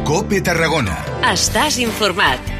COPE Tarragona. Estàs informat.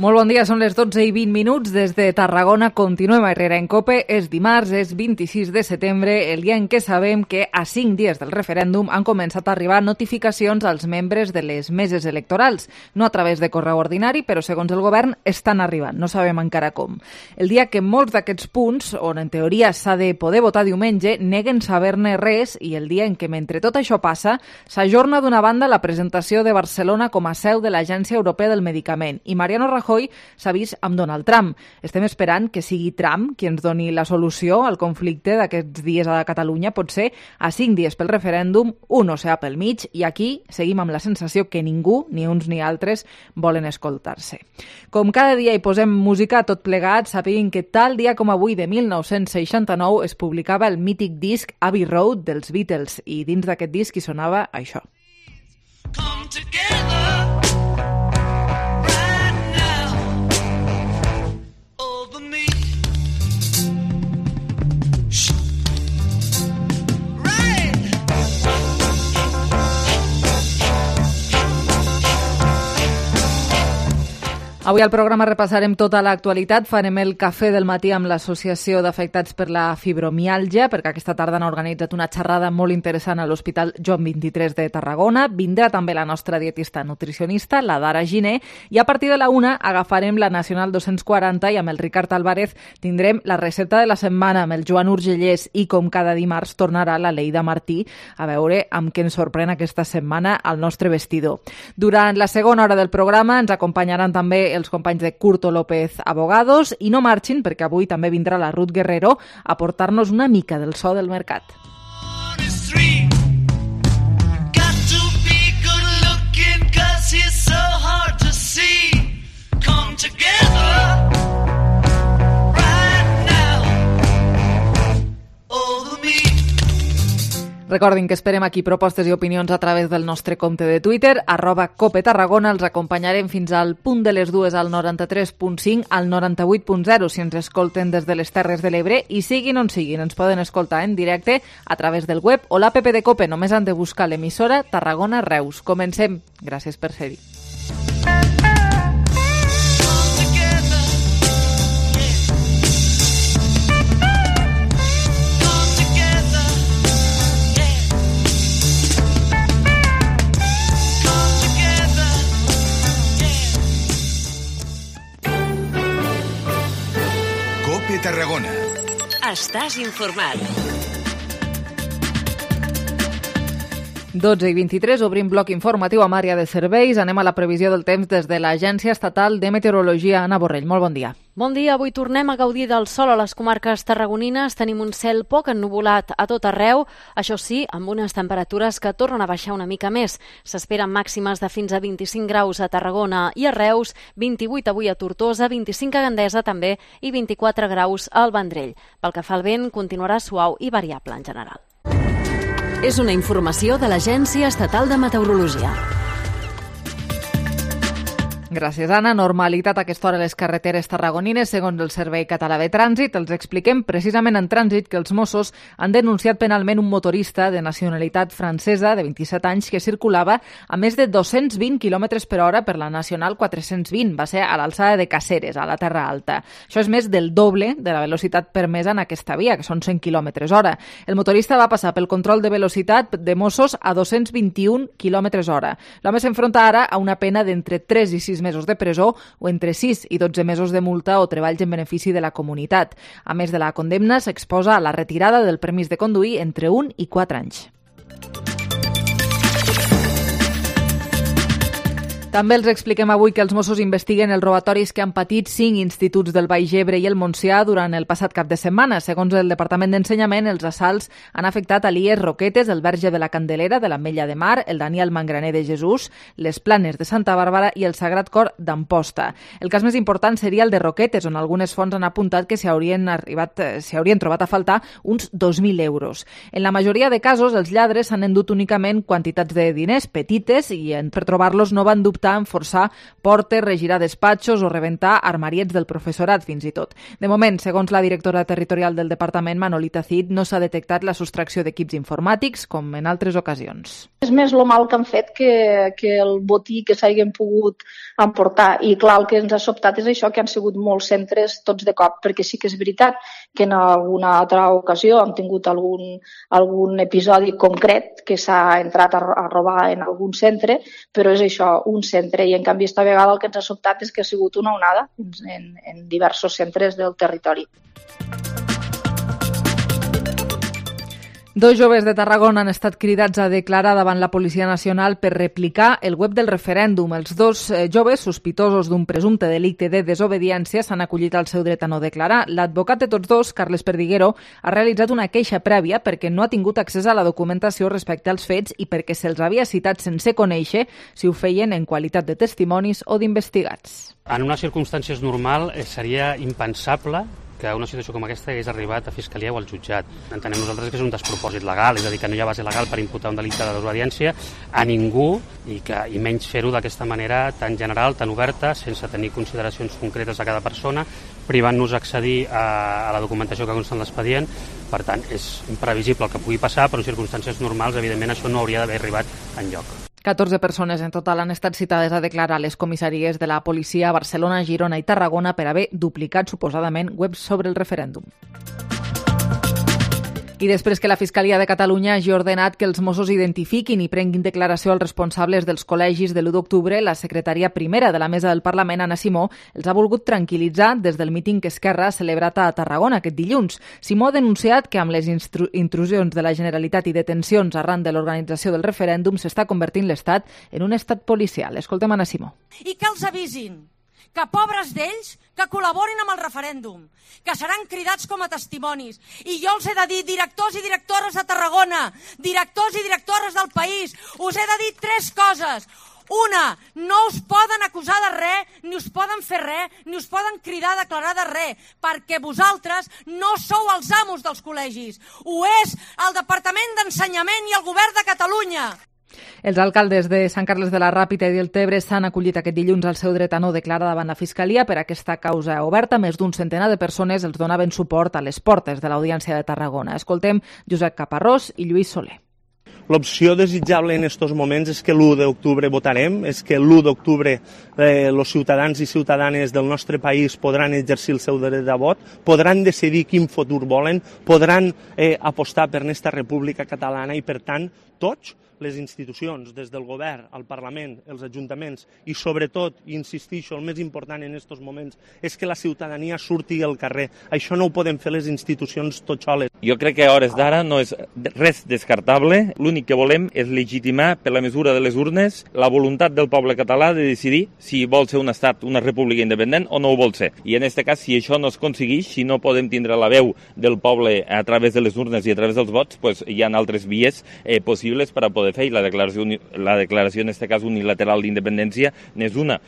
Molt bon dia, són les 12:20 des de Tarragona. Continuem a Herrera en COPE. És dimarts, és 26 de setembre, el dia en què sabem que a 5 dies del referèndum han començat a arribar notificacions als membres de les meses electorals. No a través de correu ordinari, però segons el govern estan arribant, no sabem encara com. El dia que molts d'aquests punts, on en teoria s'ha de poder votar diumenge, neguen saber-ne res, i el dia en què mentre tot això passa s'ajorna d'una banda la presentació de Barcelona com a seu de l'Agència Europea del Medicament, i Mariano Rajoy s'ha vist amb Donald Trump. Estem esperant que sigui Trump qui ens doni la solució al conflicte d'aquests dies a Catalunya. Potser a 5 dies pel referèndum, un oceà pel mig, i aquí seguim amb la sensació que ningú, ni uns ni altres, volen escoltar-se. Com cada dia hi posem música a tot plegat, sapiguin que tal dia com avui de 1969 es publicava el mític disc Abbey Road dels Beatles, i dins d'aquest disc hi sonava això. Come together. Avui al programa repassarem tota l'actualitat. Farem el cafè del matí amb l'Associació d'Afectats per la Fibromiàlgia, perquè aquesta tarda han organitzat una xerrada molt interessant a l'Hospital Joan XXIII de Tarragona. Vindrà també la nostra dietista nutricionista, la Dara Giner, i a partir de la 1 agafarem la Nacional 240 i amb el Ricard Álvarez tindrem la recepta de la setmana amb el Joan Urgellès, i com cada dimarts tornarà la Leida Martí a veure amb què ens sorprèn aquesta setmana al nostre vestidor. Durant la segona hora del programa ens acompanyaran també els companys de Curto López Abogados, i no marxin perquè avui també vindrà la Ruth Guerrero a portar-nos una mica del so del mercat. Recordin que esperem aquí propostes i opinions a través del nostre compte de Twitter, @COPETarragona. Els acompanyarem fins al punt de les 2 al 93.5, al 98.0 si ens escolten des de les Terres de l'Ebre, i siguin on siguin, ens poden escoltar en directe a través del web o l'app de COPE. Només han de buscar l'emissora Tarragona Reus. Comencem. Gràcies per ser-hi. Tarragona. Estàs informat. 12:23, obrim bloc informatiu amb àrea de serveis. Anem a la previsió del temps des de l'Agència Estatal de Meteorologia. Anna Borrell, molt bon dia. Bon dia, avui tornem a gaudir del sol a les comarques tarragonines. Tenim un cel poc ennuvolat a tot arreu, això sí, amb unes temperatures que tornen a baixar una mica més. S'esperen màximes de fins a 25 graus a Tarragona i a Reus, 28 avui a Tortosa, 25 a Gandesa també i 24 graus al Vendrell. Pel que fa al vent, continuarà suau i variable en general. És una informació de l'Agència Estatal de Meteorologia. Gràcies, Anna. Normalitat a aquesta hora a les carreteres tarragonines, segons el Servei Català de Trànsit. Els expliquem precisament en trànsit que els Mossos han denunciat penalment un motorista de nacionalitat francesa de 27 anys que circulava a més de 220 km per hora per la Nacional 420. Va ser a l'alçada de Caceres, a la Terra Alta. Això és més del doble de la velocitat permesa en aquesta via, que són 100 km hora. El motorista va passar pel control de velocitat de Mossos a 221 km hora. L'home s'enfronta ara a una pena d'entre 3 i 6 mesos de presó o entre 6 i 12 mesos de multa o treballs en benefici de la comunitat. A més de la condemna, s'exposa a la retirada del permís de conduir entre 1 i 4 anys. També els expliquem avui que els Mossos investiguen els robatoris que han patit 5 instituts del Baix Ebre i el Montsià durant el passat cap de setmana. Segons el Departament d'Ensenyament, els assalts han afectat a l'IES Roquetes, el Verge de la Candelera de l'Ametlla de Mar, el Daniel Mangraner de Jesús, les Planes de Santa Bàrbara i el Sagrat Cor d'Amposta. El cas més important seria el de Roquetes, on algunes fonts han apuntat que s'hi haurien trobat a faltar uns 2.000 euros. En la majoria de casos, els lladres s'han endut únicament quantitats de diners petites i per trobar-los no van dubtar optar en forçar portes, regirar despatxos o rebentar armariets del professorat, fins i tot. De moment, segons la directora territorial del departament, Manolita Cid, no s'ha detectat la sostracció d'equips informàtics, com en altres ocasions. És més el mal que han fet que el botí que s'hagin pogut emportar. I clar, el que ens ha sobtat és això, que han sigut molts centres tots de cop, perquè sí que és veritat que en alguna altra ocasió han tingut algun episodi concret que s'ha entrat a robar en algun centre, però és això, un centre, i en canvi esta vegada el que ens ha sobtat és que ha sigut una onada en diversos centres del territori. Dos joves de Tarragona han estat cridats a declarar davant la Policia Nacional per replicar el web del referèndum. Els dos joves, sospitosos d'un presumpte delicte de desobediència, s'han acollit al seu dret a no declarar. L'advocat de tots dos, Carles Perdiguero, ha realitzat una queixa prèvia perquè no ha tingut accés a la documentació respecte als fets i perquè se'ls havia citat sense conèixer si ho feien en qualitat de testimonis o d'investigats. En unes circumstàncies normal seria impensable que una situació com aquesta hagués arribat a Fiscalia o al jutjat. Entenem nosaltres que és un despropòsit legal, és a dir, que no hi ha base legal per imputar un delicte de desobediència a ningú i menys fer-ho d'aquesta manera tan general, tan oberta, sense tenir consideracions concretes a cada persona, privant-nos d'accedir a la documentació que consta en l'expedient. Per tant, és imprevisible el que pugui passar, però en circumstàncies normals, evidentment, això no hauria d'haver arribat enlloc. 14 persones en total han estat citades a declarar a les comissaries de la policia a Barcelona, Girona i Tarragona per haver duplicat suposadament webs sobre el referèndum. I després que la Fiscalia de Catalunya hagi ordenat que els Mossos identifiquin i prenguin declaració als responsables dels col·legis de l'1 d'octubre, la secretària primera de la Mesa del Parlament, Anna Simó, els ha volgut tranquil·litzar des del míting que Esquerra ha celebrat a Tarragona aquest dilluns. Simó ha denunciat que amb les intrusions de la Generalitat i detencions arran de l'organització del referèndum s'està convertint l'Estat en un estat policial. Escoltem Anna Simó. I que els avisin que pobres d'ells que col·laborin amb el referèndum, que seran cridats com a testimonis. I jo els he de dir, directors i directores de Tarragona, directors i directores del país, us he de dir 3 coses. Una, no us poden acusar de res, ni us poden fer res, ni us poden cridar a declarar de res, perquè vosaltres no sou els amos dels col·legis. Ho és el Departament d'Ensenyament i el Govern de Catalunya. Els alcaldes de Sant Carles de la Ràpita i Deltebre s'han acollit aquest dilluns al seu dret a no declarar davant la Fiscalia per aquesta causa oberta. Més d'un centenar de persones els donaven suport a les portes de l'Audiència de Tarragona. Escoltem Josep Caparrós i Lluís Soler. L'opció desitjable en aquests moments és que l'1 d'octubre votarem, és que l'1 d'octubre els ciutadans i ciutadanes del nostre país podran exercir el seu dret de vot, podran decidir quin futur volen, podran apostar per aquesta república catalana i, per tant, tots les institucions, des del govern, al Parlament, els ajuntaments i, sobretot, i insistixo, el més important en aquests moments és que la ciutadania surti al carrer. Això no ho poden fer les institucions totxoles. Jo crec que a hores d'ara no és res descartable. L'únic que volem és legitimar, per la mesura de les urnes, la voluntat del poble català de decidir si vol ser un estat, una república independent o no ho vol ser. I en aquest cas, si això no es aconsegueix, si no podem tindre la veu del poble a través de les urnes i a través dels vots, pues hi ha altres vies possibles per a poder fer, i la declaració en aquest cas unilateral d'independència n'és una.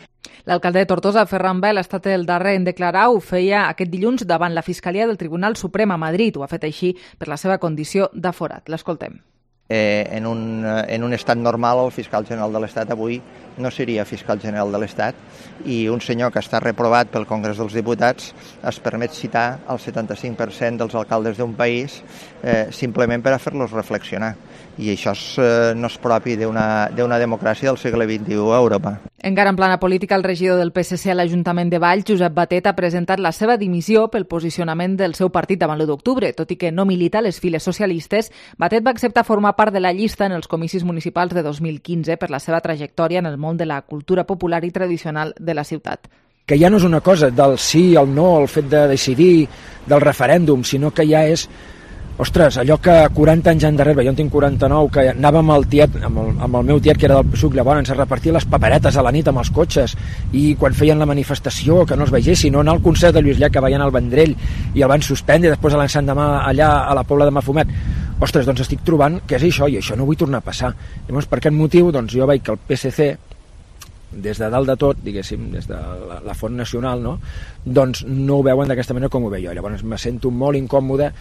L'alcalde de Tortosa, Ferran Bel, ha estat el darrer en declarar, ho feia aquest dilluns davant la Fiscalia del Tribunal Suprem a Madrid. Ho ha fet així per la seva condició d'aforat. L'escoltem. En un estat normal, el fiscal general de l'Estat avui no seria fiscal general de l'Estat, i un senyor que està reprovat pel Congrés dels Diputats es permet citar el 75% dels alcaldes d'un país simplement per a fer-los reflexionar. I això no és propi d'una democràcia del segle XXI a Europa. Encara en plana política, el regidor del PSC a l'Ajuntament de Valls, Josep Batet, ha presentat la seva dimissió pel posicionament del seu partit davant l'1 d'octubre. Tot i que no milita a les files socialistes, Batet va acceptar formar part de la llista en els comicis municipals de 2015 per la seva trajectòria en el món de la cultura popular i tradicional de la ciutat. Que ja no és una cosa del sí, el no, el fet de decidir, del referèndum, sinó que ja és, ostres, allò que 40 anys endarrere, jo en tinc 49, que anàvem amb el meu tiet, que era del PSUC, llavors a repartir les paperetes a la nit amb els cotxes, i quan feien la manifestació que no els vegessin, no anar al concert de Lluís Llach, que veien al Vendrell i el van suspendre, i després a l'endemà allà a la Pobla de Mafumet. Ostres, doncs estic trobant que és això, i això no vull tornar a passar. Llavors, per aquest motiu, doncs jo veig que el PSC, des de dalt de tot, diguéssim, des de la Font Nacional, no? Doncs no ho veuen d'aquesta manera com ho veig jo. Llavors me sento molt incòmode.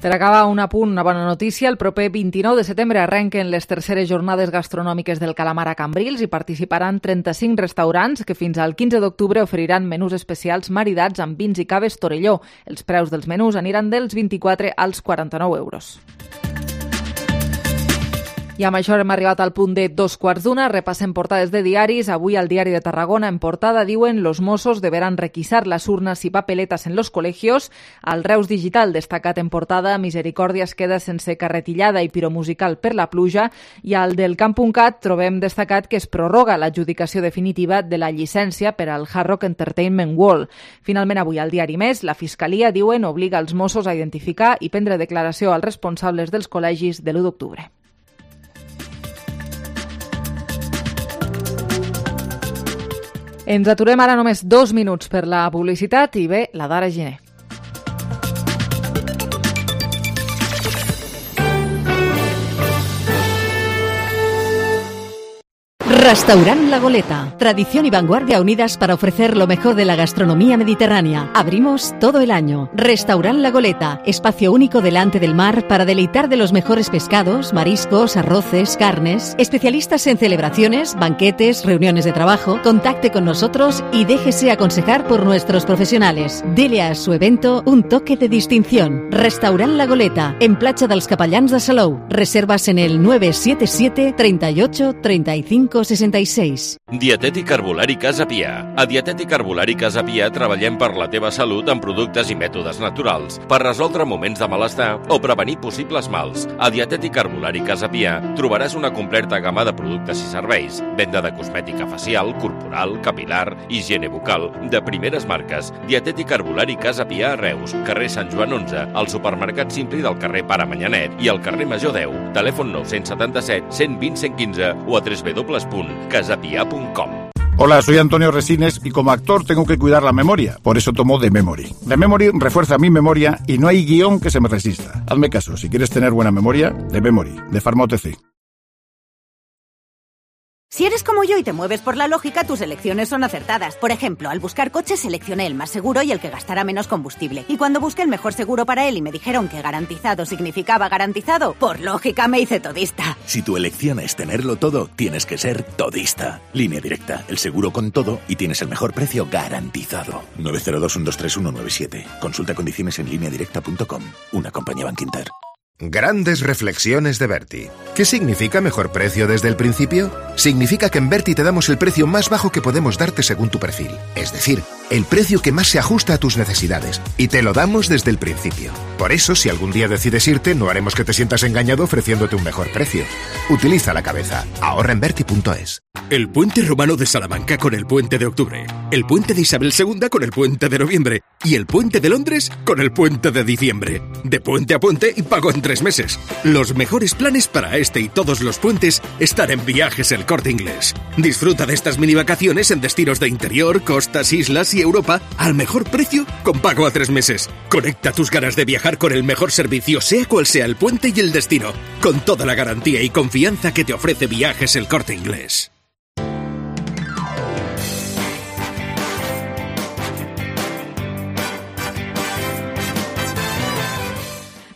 Per acabar, un apunt, una bona notícia. El proper 29 de setembre arrenquen les terceres jornades gastronòmiques del calamar a Cambrils i participaran 35 restaurants que fins al 15 d'octubre oferiran menús especials maridats amb vins i caves Torelló. Els preus dels menús aniran dels 24 als 49 euros. I amb això hem arribat al punt de 2:15. Repassem portades de diaris. Avui al Diari de Tarragona en portada diuen: los Mossos deberán requisar las urnas y papeletas en los colegios. Al Reus Digital, destacat en portada, Misericòrdia es queda sense carretillada i piromusical per la pluja. I al del Camp.cat trobem destacat que es prorroga l'adjudicació definitiva de la llicència per al Hard Rock Entertainment World. Finalment, avui al Diari Més, la Fiscalia, diuen, obliga els Mossos a identificar i prendre declaració als responsables dels col·legis de l'1 d'octubre. Ens aturem ara només 2 minuts per la publicitat i ve la Dara Giner. Restaurant La Goleta. Tradición y vanguardia unidas para ofrecer lo mejor de la gastronomía mediterránea. Abrimos todo el año. Restaurant La Goleta. Espacio único delante del mar para deleitar de los mejores pescados, mariscos, arroces, carnes. Especialistas en celebraciones, banquetes, reuniones de trabajo. Contacte con nosotros y déjese aconsejar por nuestros profesionales. Dele a su evento un toque de distinción. Restaurant La Goleta. En Platja dels Capellans de Salou. Reservas en el 977 38 35 66. Dietètic Herbolari Casa Pia. A Dietètic Herbolari Casa Pia treballem per la teva salut amb productes i mètodes naturals, per resoldre moments de malestar o prevenir possibles mals. A Dietètic Herbolari Casa Pia trobaràs una completa gamma de productes i serveis, venda de cosmètica facial, corporal, capilar, higiene bucal, de primeres marques. Dietètic Herbolari Casa Pia a Reus, carrer Sant Joan 11, al supermercat Simpli del carrer Pare Manyanet i al carrer Major 10. Telèfon 977 120 115 o a www.casapia.com. Hola, soy Antonio Resines y como actor tengo que cuidar la memoria, por eso tomo The Memory. The Memory refuerza mi memoria y no hay guión que se me resista. Hazme caso, si quieres tener buena memoria, The Memory, de Pharma OTC. Si eres como yo y te mueves por la lógica, tus elecciones son acertadas. Por ejemplo, al buscar coches seleccioné el más seguro y el que gastará menos combustible. Y cuando busqué el mejor seguro para él y me dijeron que garantizado significaba garantizado, por lógica me hice todista. Si tu elección es tenerlo todo, tienes que ser todista. Línea Directa, el seguro con todo y tienes el mejor precio garantizado. 902-123-197. Consulta condiciones en lineadirecta.com. Una compañía Bankinter. Grandes reflexiones de Berti. ¿Qué significa mejor precio desde el principio? Significa que en Berti te damos el precio más bajo que podemos darte según tu perfil. Es decir, el precio que más se ajusta a tus necesidades. Y te lo damos desde el principio. Por eso, si algún día decides irte, no haremos que te sientas engañado ofreciéndote un mejor precio. Utiliza la cabeza. Ahorra en Berti.es. El puente romano de Salamanca con el puente de octubre. El puente de Isabel II con el puente de noviembre. Y el puente de Londres con el puente de diciembre. De puente a puente y pago en 3 meses. Los mejores planes para este y todos los puentes están en Viajes El Corte Inglés. Disfruta de estas mini vacaciones en destinos de interior, costas, islas y Europa al mejor precio con pago a 3 meses. Conecta tus ganas de viajar con el mejor servicio, sea cual sea el puente y el destino, con toda la garantía y confianza que te ofrece Viajes El Corte Inglés.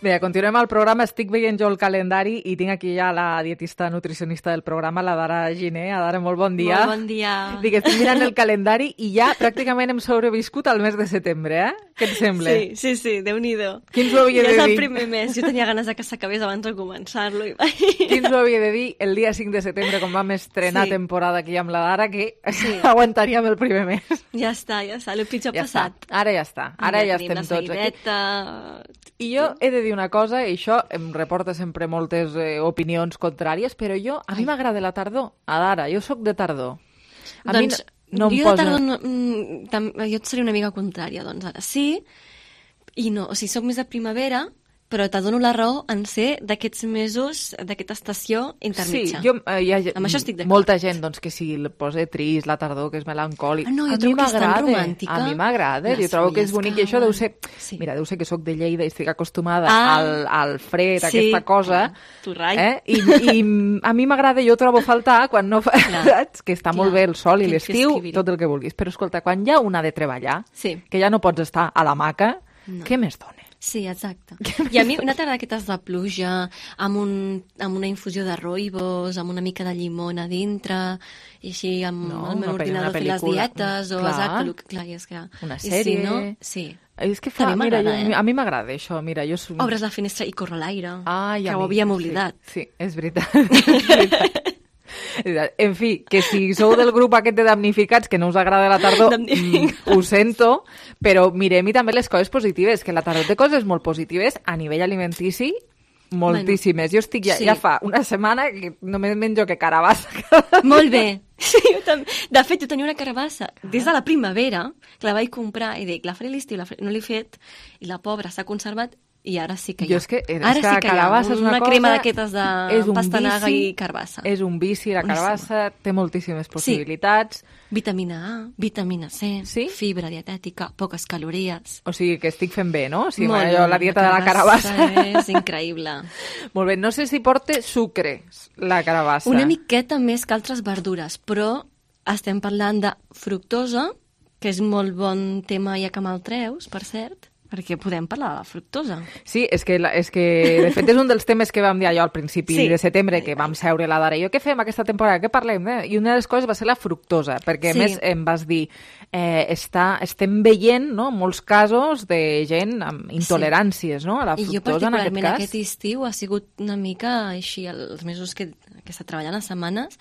Bé, continuem al programa. Estic veient jo el calendari i tinc aquí ja la dietista nutricionista del programa, la Dara Giner. Dara, molt bon dia. Molt bon dia. Dic, estic mirant el calendari i ja pràcticament hem sobreviscut al mes de setembre, eh? Què et sembla? Sí, déu-n'hi-do. Qui ens ho havia de dir? Ja és el primer mes. Jo tenia ganes de que s'acabés abans de començar-lo. Qui ens ho havia de dir el dia 5 de setembre, quan vam estrenar temporada aquí amb la Dara, que aguantaríem el primer mes. Ja està. El pitjor passat. Ara ja està. Ara ja estem tots aquí. I jo he de dir una cosa, i això em reporta sempre moltes opinions contràries, però a mi m'agrada la tardor. Dara, jo sóc de tardor. Doncs jo de tardor jo et seré una mica contrària, doncs ara sí, i no, o sigui, soc més de primavera, però t'adono la raó en ser d'aquests mesos, d'aquesta estació intermitja. Sí, amb això estic d'acord. Molta gent doncs, que si el posa trist, la tardor, que és melancòlic. No, jo trobo que és tan romàntica. A mi m'agrada, jo trobo que és bonic, i això deu ser... Mira, deu ser que sóc de Lleida i estic acostumada al fred, a aquesta cosa. I a mi m'agrada, jo trobo faltar quan no fa... que està molt bé el sol i l'estiu, tot el que vulguis. Però escolta, quan ja un ha de treballar, que ja no pots estar a l'hamaca, què més dona? Sí, exacte. I a mi una tarda d'aquestes de pluja, amb una infusió de rooibos, amb una mica de llimona a dintre, i així amb el meu ordinador fer les dietes, o exacte, clar, i és que... Una sèrie... Sí. És que fa, mira, a mi m'agrada això, mira, jo... Obres la finestra i corre l'aire, que ho havíem oblidat. Sí, és veritat. En fi, que si sou del grup aquest de damnificats, que no us agrada la tardor, ho sento, però mirem-hi també les coses positives, que la tardor té coses molt positives a nivell alimentici, moltíssimes. Jo estic ja fa una setmana que només menjo que carabassa. Molt bé. Sí, jo també. De fet, jo tenia una carabassa des de la primavera, que la vaig comprar i dic, la faré a l'estiu, no l'he fet, i la pobra s'ha conservat i ara sí que hi ha. Ara sí que hi ha una crema d'aquestes de pastanaga i carbassa. És un vici, la carbassa té moltíssimes possibilitats. Vitamina A, vitamina C, fibra dietètica, poques calories. O sigui que estic fent bé, no? Si la dieta de la carabassa és increïble. Molt bé, no sé si porta sucres la carabassa. Una miqueta més que altres verdures, però estem parlant de fructosa, que és molt bon tema ja que me'l treus, per cert, perquè podem parlar de la fructosa. Sí, és que de fet és un dels temes que vam dir allò al principi de setembre, que vam seure la Dara i jo, què fem aquesta temporada, què parlem? I una de les coses va ser la fructosa, perquè a més em vas dir, estem veient molts casos de gent amb intoleràncies a la fructosa en aquest cas. I jo particularment aquest estiu ha sigut una mica així, els mesos que està treballant, les setmanes,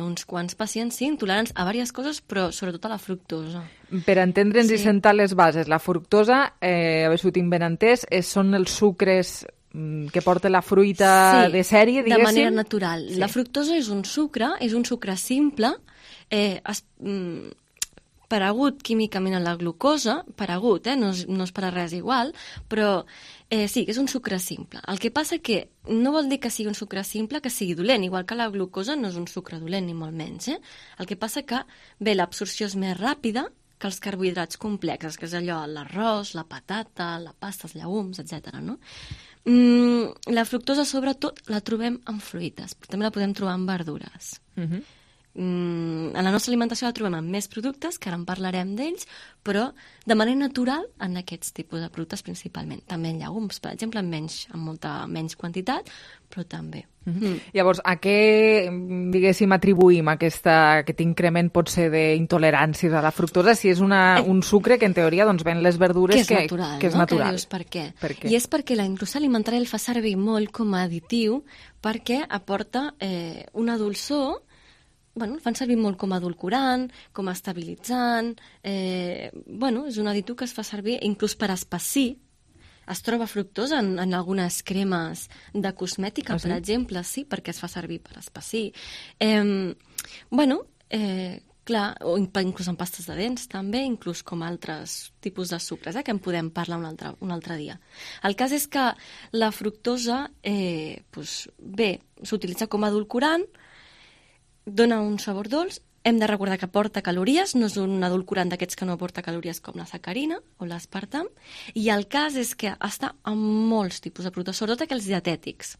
uns quants pacients, intolerants a diverses coses, però sobretot a la fructosa. Per entendre'ns i sentar les bases, la fructosa, a veure si ho tinc ben entès, són els sucres que porta la fruita de sèrie, diguéssim? De manera natural. La fructosa és un sucre simple, paregut químicament a la glucosa, paregut, no és per a res igual, però sí, és un sucre simple. El que passa que no vol dir que sigui un sucre simple que sigui dolent, igual que la glucosa no és un sucre dolent, ni molt menys. El que passa que, l'absorció és més ràpida que els carbohidrats complexes, que és allò, l'arròs, la patata, la pasta, els llegums, etc. No? La fructosa, sobretot, la trobem en fruites, però també la podem trobar en verdures. En la nostra alimentació la trobem en més productes, que ara en parlarem d'ells, però de manera natural en aquests tipus de productes principalment. També en llegums, per exemple, en molta menys quantitat, però també. Llavors, a què, diguéssim, atribuïm aquest increment potser d'intoleràncies a la fructosa si és un sucre que en teoria ven les verdures que és natural? Que dius per què? I és perquè la indústria alimentària el fa servir molt com a additiu perquè aporta una dolçor. El fan servir molt com a edulcorant, com a estabilitzant, és un additiu que es fa servir inclús per espessir. Es troba fructosa en algunes cremes de cosmètica, per exemple, sí, perquè es fa servir per espessir. Clar, o inclús en pastes de dents també, inclús com altres tipus de sucres, que en podem parlar un altre dia. El cas és que la fructosa, s'utilitza com a edulcorant, dona un sabor dolç, hem de recordar que porta calories, no és un edulcorant d'aquests que no porta calories com la sacarina o l'aspartam, i el cas és que està en molts tipus de productes, sobretot aquells dietètics.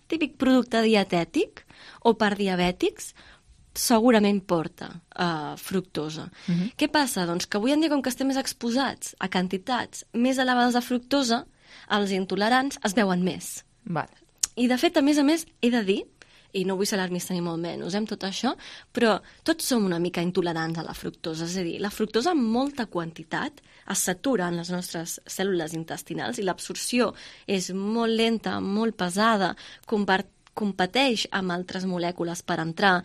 Típic producte dietètic o per diabètics segurament porta fructosa. Què passa? Doncs que avui en dia, com que estem més exposats a quantitats més elevades de fructosa, els intolerants es veuen més. I de fet, a més, he de dir, i no vull ser alarmista ni molt menys amb tot això, però tots som una mica intolerants a la fructosa. És a dir, la fructosa en molta quantitat es satura en les nostres cèl·lules intestinals i l'absorció és molt lenta, molt pesada, competeix amb altres molècules per entrar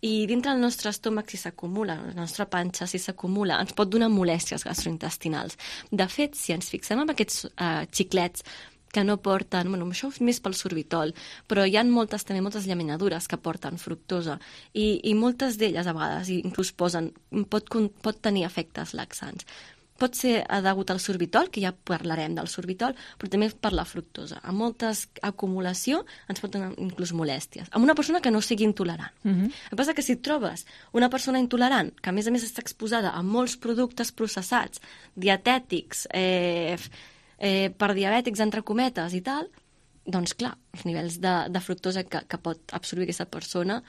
i dintre del nostre estómac si s'acumula, la nostra panxa si s'acumula, ens pot donar molèsties gastrointestinals. De fet, si ens fixem en aquests xiclets que no porten, això és més pel sorbitol, però hi ha moltes llaminadures que porten fructosa i moltes d'elles a vegades inclús pot tenir efectes laxants. Pot ser degut al sorbitol, que ja parlarem del sorbitol, però també per la fructosa. A moltes acumulació ens pot donar inclús molèsties. Amb una persona que no sigui intolerant. El que passa que si trobes una persona intolerant, que a més està exposada a molts productes processats, dietètics, per diabètics, entre cometes i tal, doncs clar, els nivells de fructosa que pot absorbir aquesta persona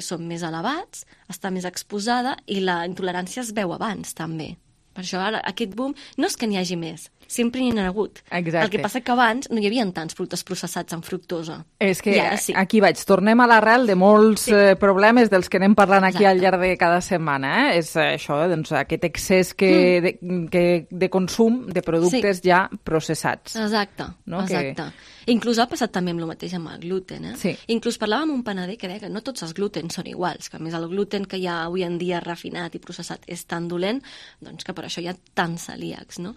són més elevats, està més exposada i la intolerància es veu abans també. Per això ara aquest boom no és que n'hi hagi més, sempre n'hi ha hagut. Exacte. El que passa que abans no hi havia tants productes processats amb fructosa. És que aquí vaig, tornem a l'arrel de molts problemes dels que anem parlant aquí al llarg de cada setmana. És això, doncs, aquest excés de consum de productes ja processats. Exacte, exacte. Inclús ha passat també amb el mateix amb el gluten. Sí. Inclús parlàvem amb un panader que deia que no tots els glutens són iguals, que a més el gluten que hi ha avui en dia refinat i processat és tan dolent, doncs que per això hi ha tants celíacs, no?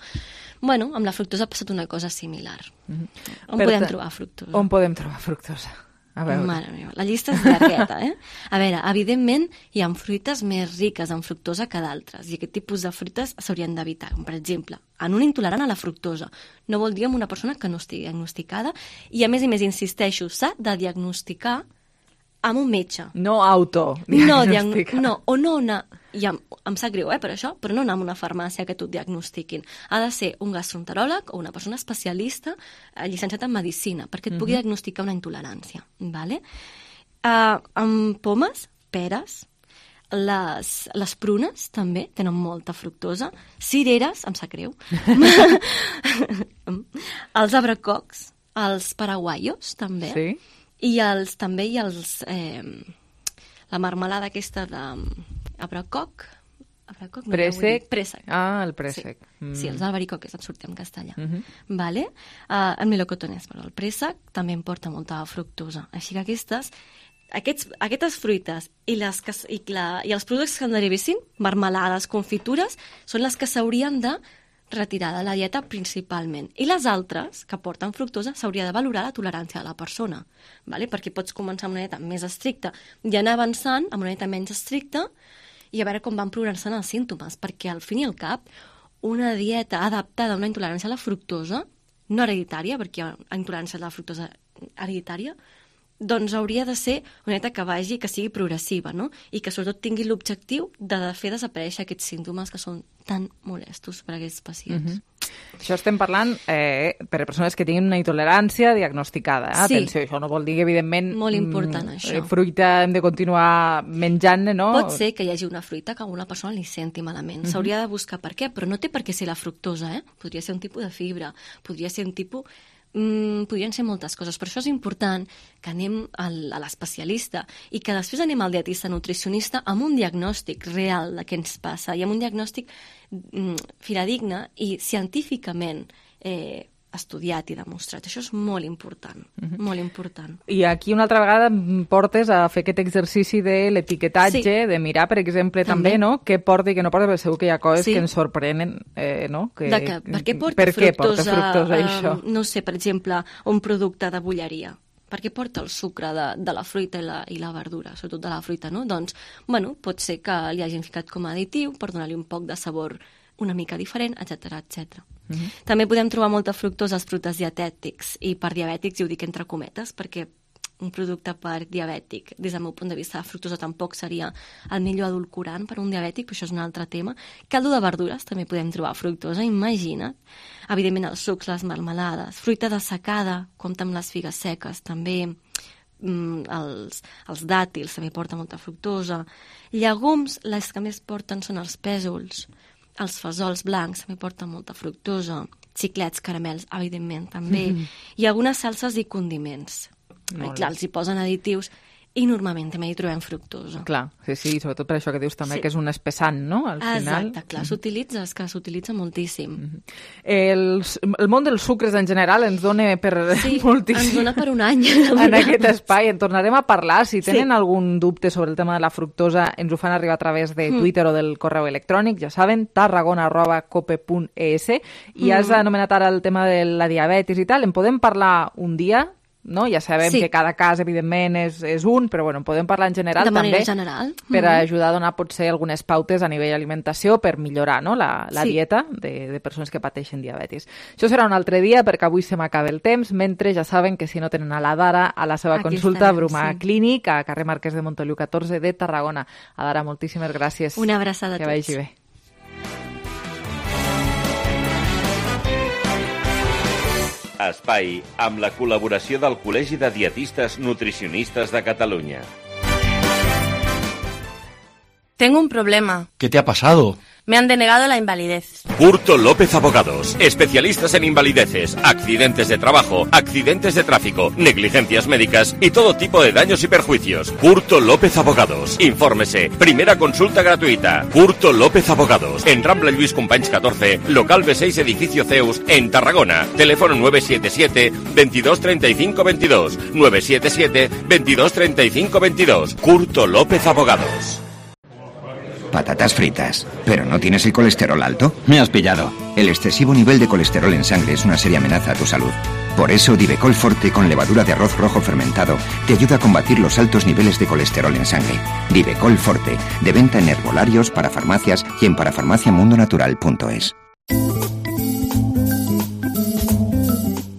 Bueno, amb la fructosa ha passat una cosa similar. On podem trobar fructosa? On podem trobar fructosa? A veure. Mare meva, la llista és llargueta, A veure, evidentment hi ha fruites més riques en fructosa que d'altres, i aquest tipus de fruites s'haurien d'evitar, com per exemple, en un intolerant a la fructosa. No vol dir en una persona que no estigui diagnosticada, i a més insisteixo, s'ha de diagnosticar amb un metge. No autodiagnosticar. Em sap greu, per això, però no anar a una farmàcia que t'ho diagnostiquin. Ha de ser un gastroenteròleg o una persona especialista llicenciat en medicina perquè et pugui diagnosticar una intolerància. Vale? Amb pomes, peres, les prunes també tenen molta fructosa, cireres, em sap greu, els abracocs, els paraguaios també, sí. I també hi ha la marmelada aquesta d'abracoc, Préssec. Préssec. Ah, el préssec. Sí, els albaricoques, et sortia en castellà. Vale? El melocotonès, però el préssec també em porta molta fructosa. Així que aquestes fruites i els productes que en derivessin, marmelades, confitures, són les que s'haurien de retirar de la dieta principalment. I les altres, que porten fructosa, s'hauria de valorar la tolerància de la persona, vale? Perquè pots començar amb una dieta més estricta i anar avançant amb una dieta menys estricta i a veure com van progressant els símptomes, perquè al fin i al cap una dieta adaptada a una intolerància a la fructosa, no hereditària, perquè hi ha intolerància a la fructosa hereditària, doncs hauria de ser una dieta que sigui progressiva, no? I que sobretot tingui l'objectiu de fer desaparèixer aquests símptomes que són tan molestos per a aquests pacients. Això estem parlant per a persones que tinguin una intolerància diagnosticada. Sí. Atenció, això no vol dir que, evidentment, molt important, això. Fruita hem de continuar menjant-ne, no? Pot ser que hi hagi una fruita que a una persona li senti malament. S'hauria de buscar per què, però no té per què ser la fructosa, Podria ser un tipus de fibra, podria ser un tipus... podrien ser moltes coses, per això és important que anem a l'especialista i que després anem al dietista nutricionista amb un diagnòstic real de què ens passa i amb un diagnòstic fidedigne i científicament estudiat i demostrat. Això és molt important, molt important. I aquí una altra vegada portes a fer aquest exercici de l'etiquetatge, de mirar, per exemple, també, no?, què porta i què no porta, perquè segur que hi ha coses que ens sorprenen, no? Per què porta fructosa això? No sé, per exemple, un producte de bolleria. Per què porta el sucre de la fruita i la verdura, sobretot de la fruita, no? Doncs, bueno, pot ser que li hagin ficat com a additiu per donar-li un poc de sabor una mica diferent, etc etc. També podem trobar molta fructosa als productes dietètics, i per diabètics, i ho dic entre cometes, perquè un producte per diabètic, des del meu punt de vista, la fructosa tampoc seria el millor edulcorant per un diabètic, però això és un altre tema. Caldo de verdures, també podem trobar fructosa, imagina't. Evidentment els sucs, les marmelades, fruita dessecada, compta amb les figues seques, també els dàtils també porten molta fructosa. Llegums, les que més porten són els pèsols, els fesols blancs també porten molta fructosa, xiclets, caramels, evidentment, també, i algunes salses i condiments. Clar, els hi posen additius i normalment també hi trobem fructosa. Clar, sí, sobretot per això que dius també, que és un espessant, no?, al final. Exacte, clar, s'utilitza moltíssim. El món dels sucres en general ens dona per moltíssim. Ens dona per un any. En aquest espai, en tornarem a parlar. Si tenen algun dubte sobre el tema de la fructosa, ens ho fan arribar a través de Twitter o del correu electrònic, ja saben, tarragona@cope.es, i has anomenat ara el tema de la diabetis i tal, en podem parlar un dia? No? Ja sabem que cada cas, evidentment, és un, però bueno, podem parlar en general de manera també general. Per ajudar a donar potser algunes pautes a nivell alimentació per millorar, no?, la dieta de persones que pateixen diabetis. Això serà un altre dia perquè avui se m'acaba el temps, mentre ja saben que si no tenen a la Dara, a la seva consulta Bruma Clínic, a carrer Marquès de Montoliu 14 de Tarragona. A Dara, moltíssimes gràcies. Una abraçada a tots. Que vagi bé. Espai amb la col·laboració del Col·legi de Dietistes Nutricionistes de Catalunya. Tengo un problema. ¿Qué te ha pasado? Me han denegado la invalidez. Curto López Abogados, especialistas en invalideces, accidentes de trabajo, accidentes de tráfico, negligencias médicas y todo tipo de daños y perjuicios. Curto López Abogados. Infórmese. Primera consulta gratuita. Curto López Abogados. En Rambla Lluís Companys 14, local B6, edificio Zeus, en Tarragona. Teléfono 977 22 35 22. 977 22 35 22. Curto López Abogados. Patatas fritas. ¿Pero no tienes el colesterol alto? Me has pillado. El excesivo nivel de colesterol en sangre es una seria amenaza a tu salud. Por eso, Divecol Forte con levadura de arroz rojo fermentado te ayuda a combatir los altos niveles de colesterol en sangre. Divecol Forte, de venta en herbolarios, parafarmacias y en parafarmaciamundonatural.es.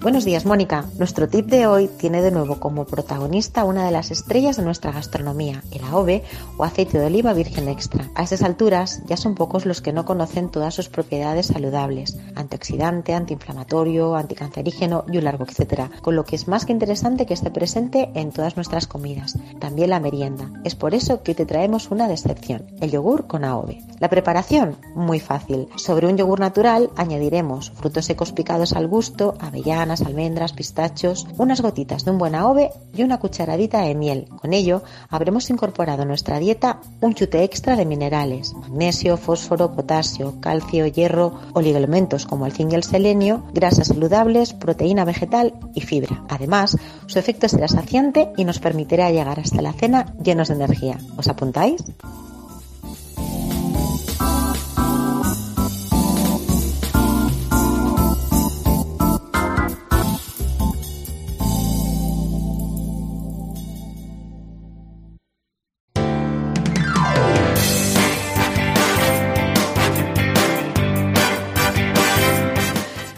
Buenos días, Mónica. Nuestro tip de hoy tiene de nuevo como protagonista una de las estrellas de nuestra gastronomía, el AOVE o aceite de oliva virgen extra. A estas alturas ya son pocos los que no conocen todas sus propiedades saludables, antioxidante, antiinflamatorio, anticancerígeno y un largo etcétera, con lo que es más que interesante que esté presente en todas nuestras comidas, también la merienda. Es por eso que hoy te traemos una de excepción, el yogur con AOVE. La preparación, muy fácil. Sobre un yogur natural añadiremos frutos secos picados al gusto, avellanas, almendras, pistachos, unas gotitas de un buen AOVE y una cucharadita de miel. Con ello habremos incorporado a nuestra dieta un chute extra de minerales, magnesio, fósforo, potasio, calcio, hierro, oligoelementos como el zinc y el selenio, grasas saludables, proteína vegetal y fibra. Además, su efecto será saciante y nos permitirá llegar hasta la cena llenos de energía. ¿Os apuntáis?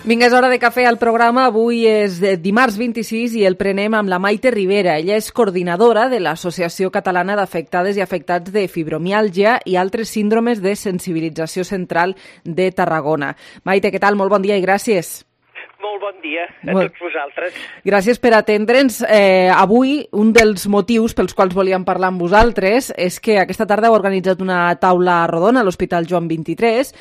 Vinga, és hora de cafè al programa. Avui és dimarts 26 i el prenem amb la Maite Rivera. Ella és coordinadora de l'Associació Catalana d'Afectades i Afectats de Fibromiàlgia i altres síndromes de sensibilització central de Tarragona. Maite, què tal? Molt bon dia i gràcies. Molt bon dia a tots vosaltres. Gràcies per atendre'ns. Avui, un dels motius pels quals volíem parlar amb vosaltres és que aquesta tarda heu organitzat una taula rodona a l'Hospital Joan 23,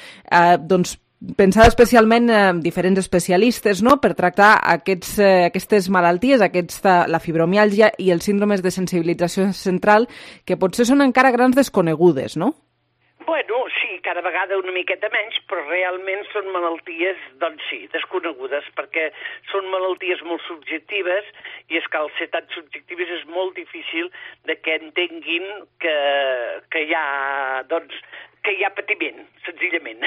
pensada especialment en diferents especialistes, no?, per tractar aquestes malalties, la fibromiàlgia i els síndromes de sensibilització central, que potser són encara grans desconegudes, no? Bueno, sí, cada vegada una miqueta menys, però realment són malalties, doncs sí, desconegudes, perquè són malalties molt subjectives i és que al ser tan subjectives és molt difícil de que entenguin que hi ha, que hi ha patiment, senzillament.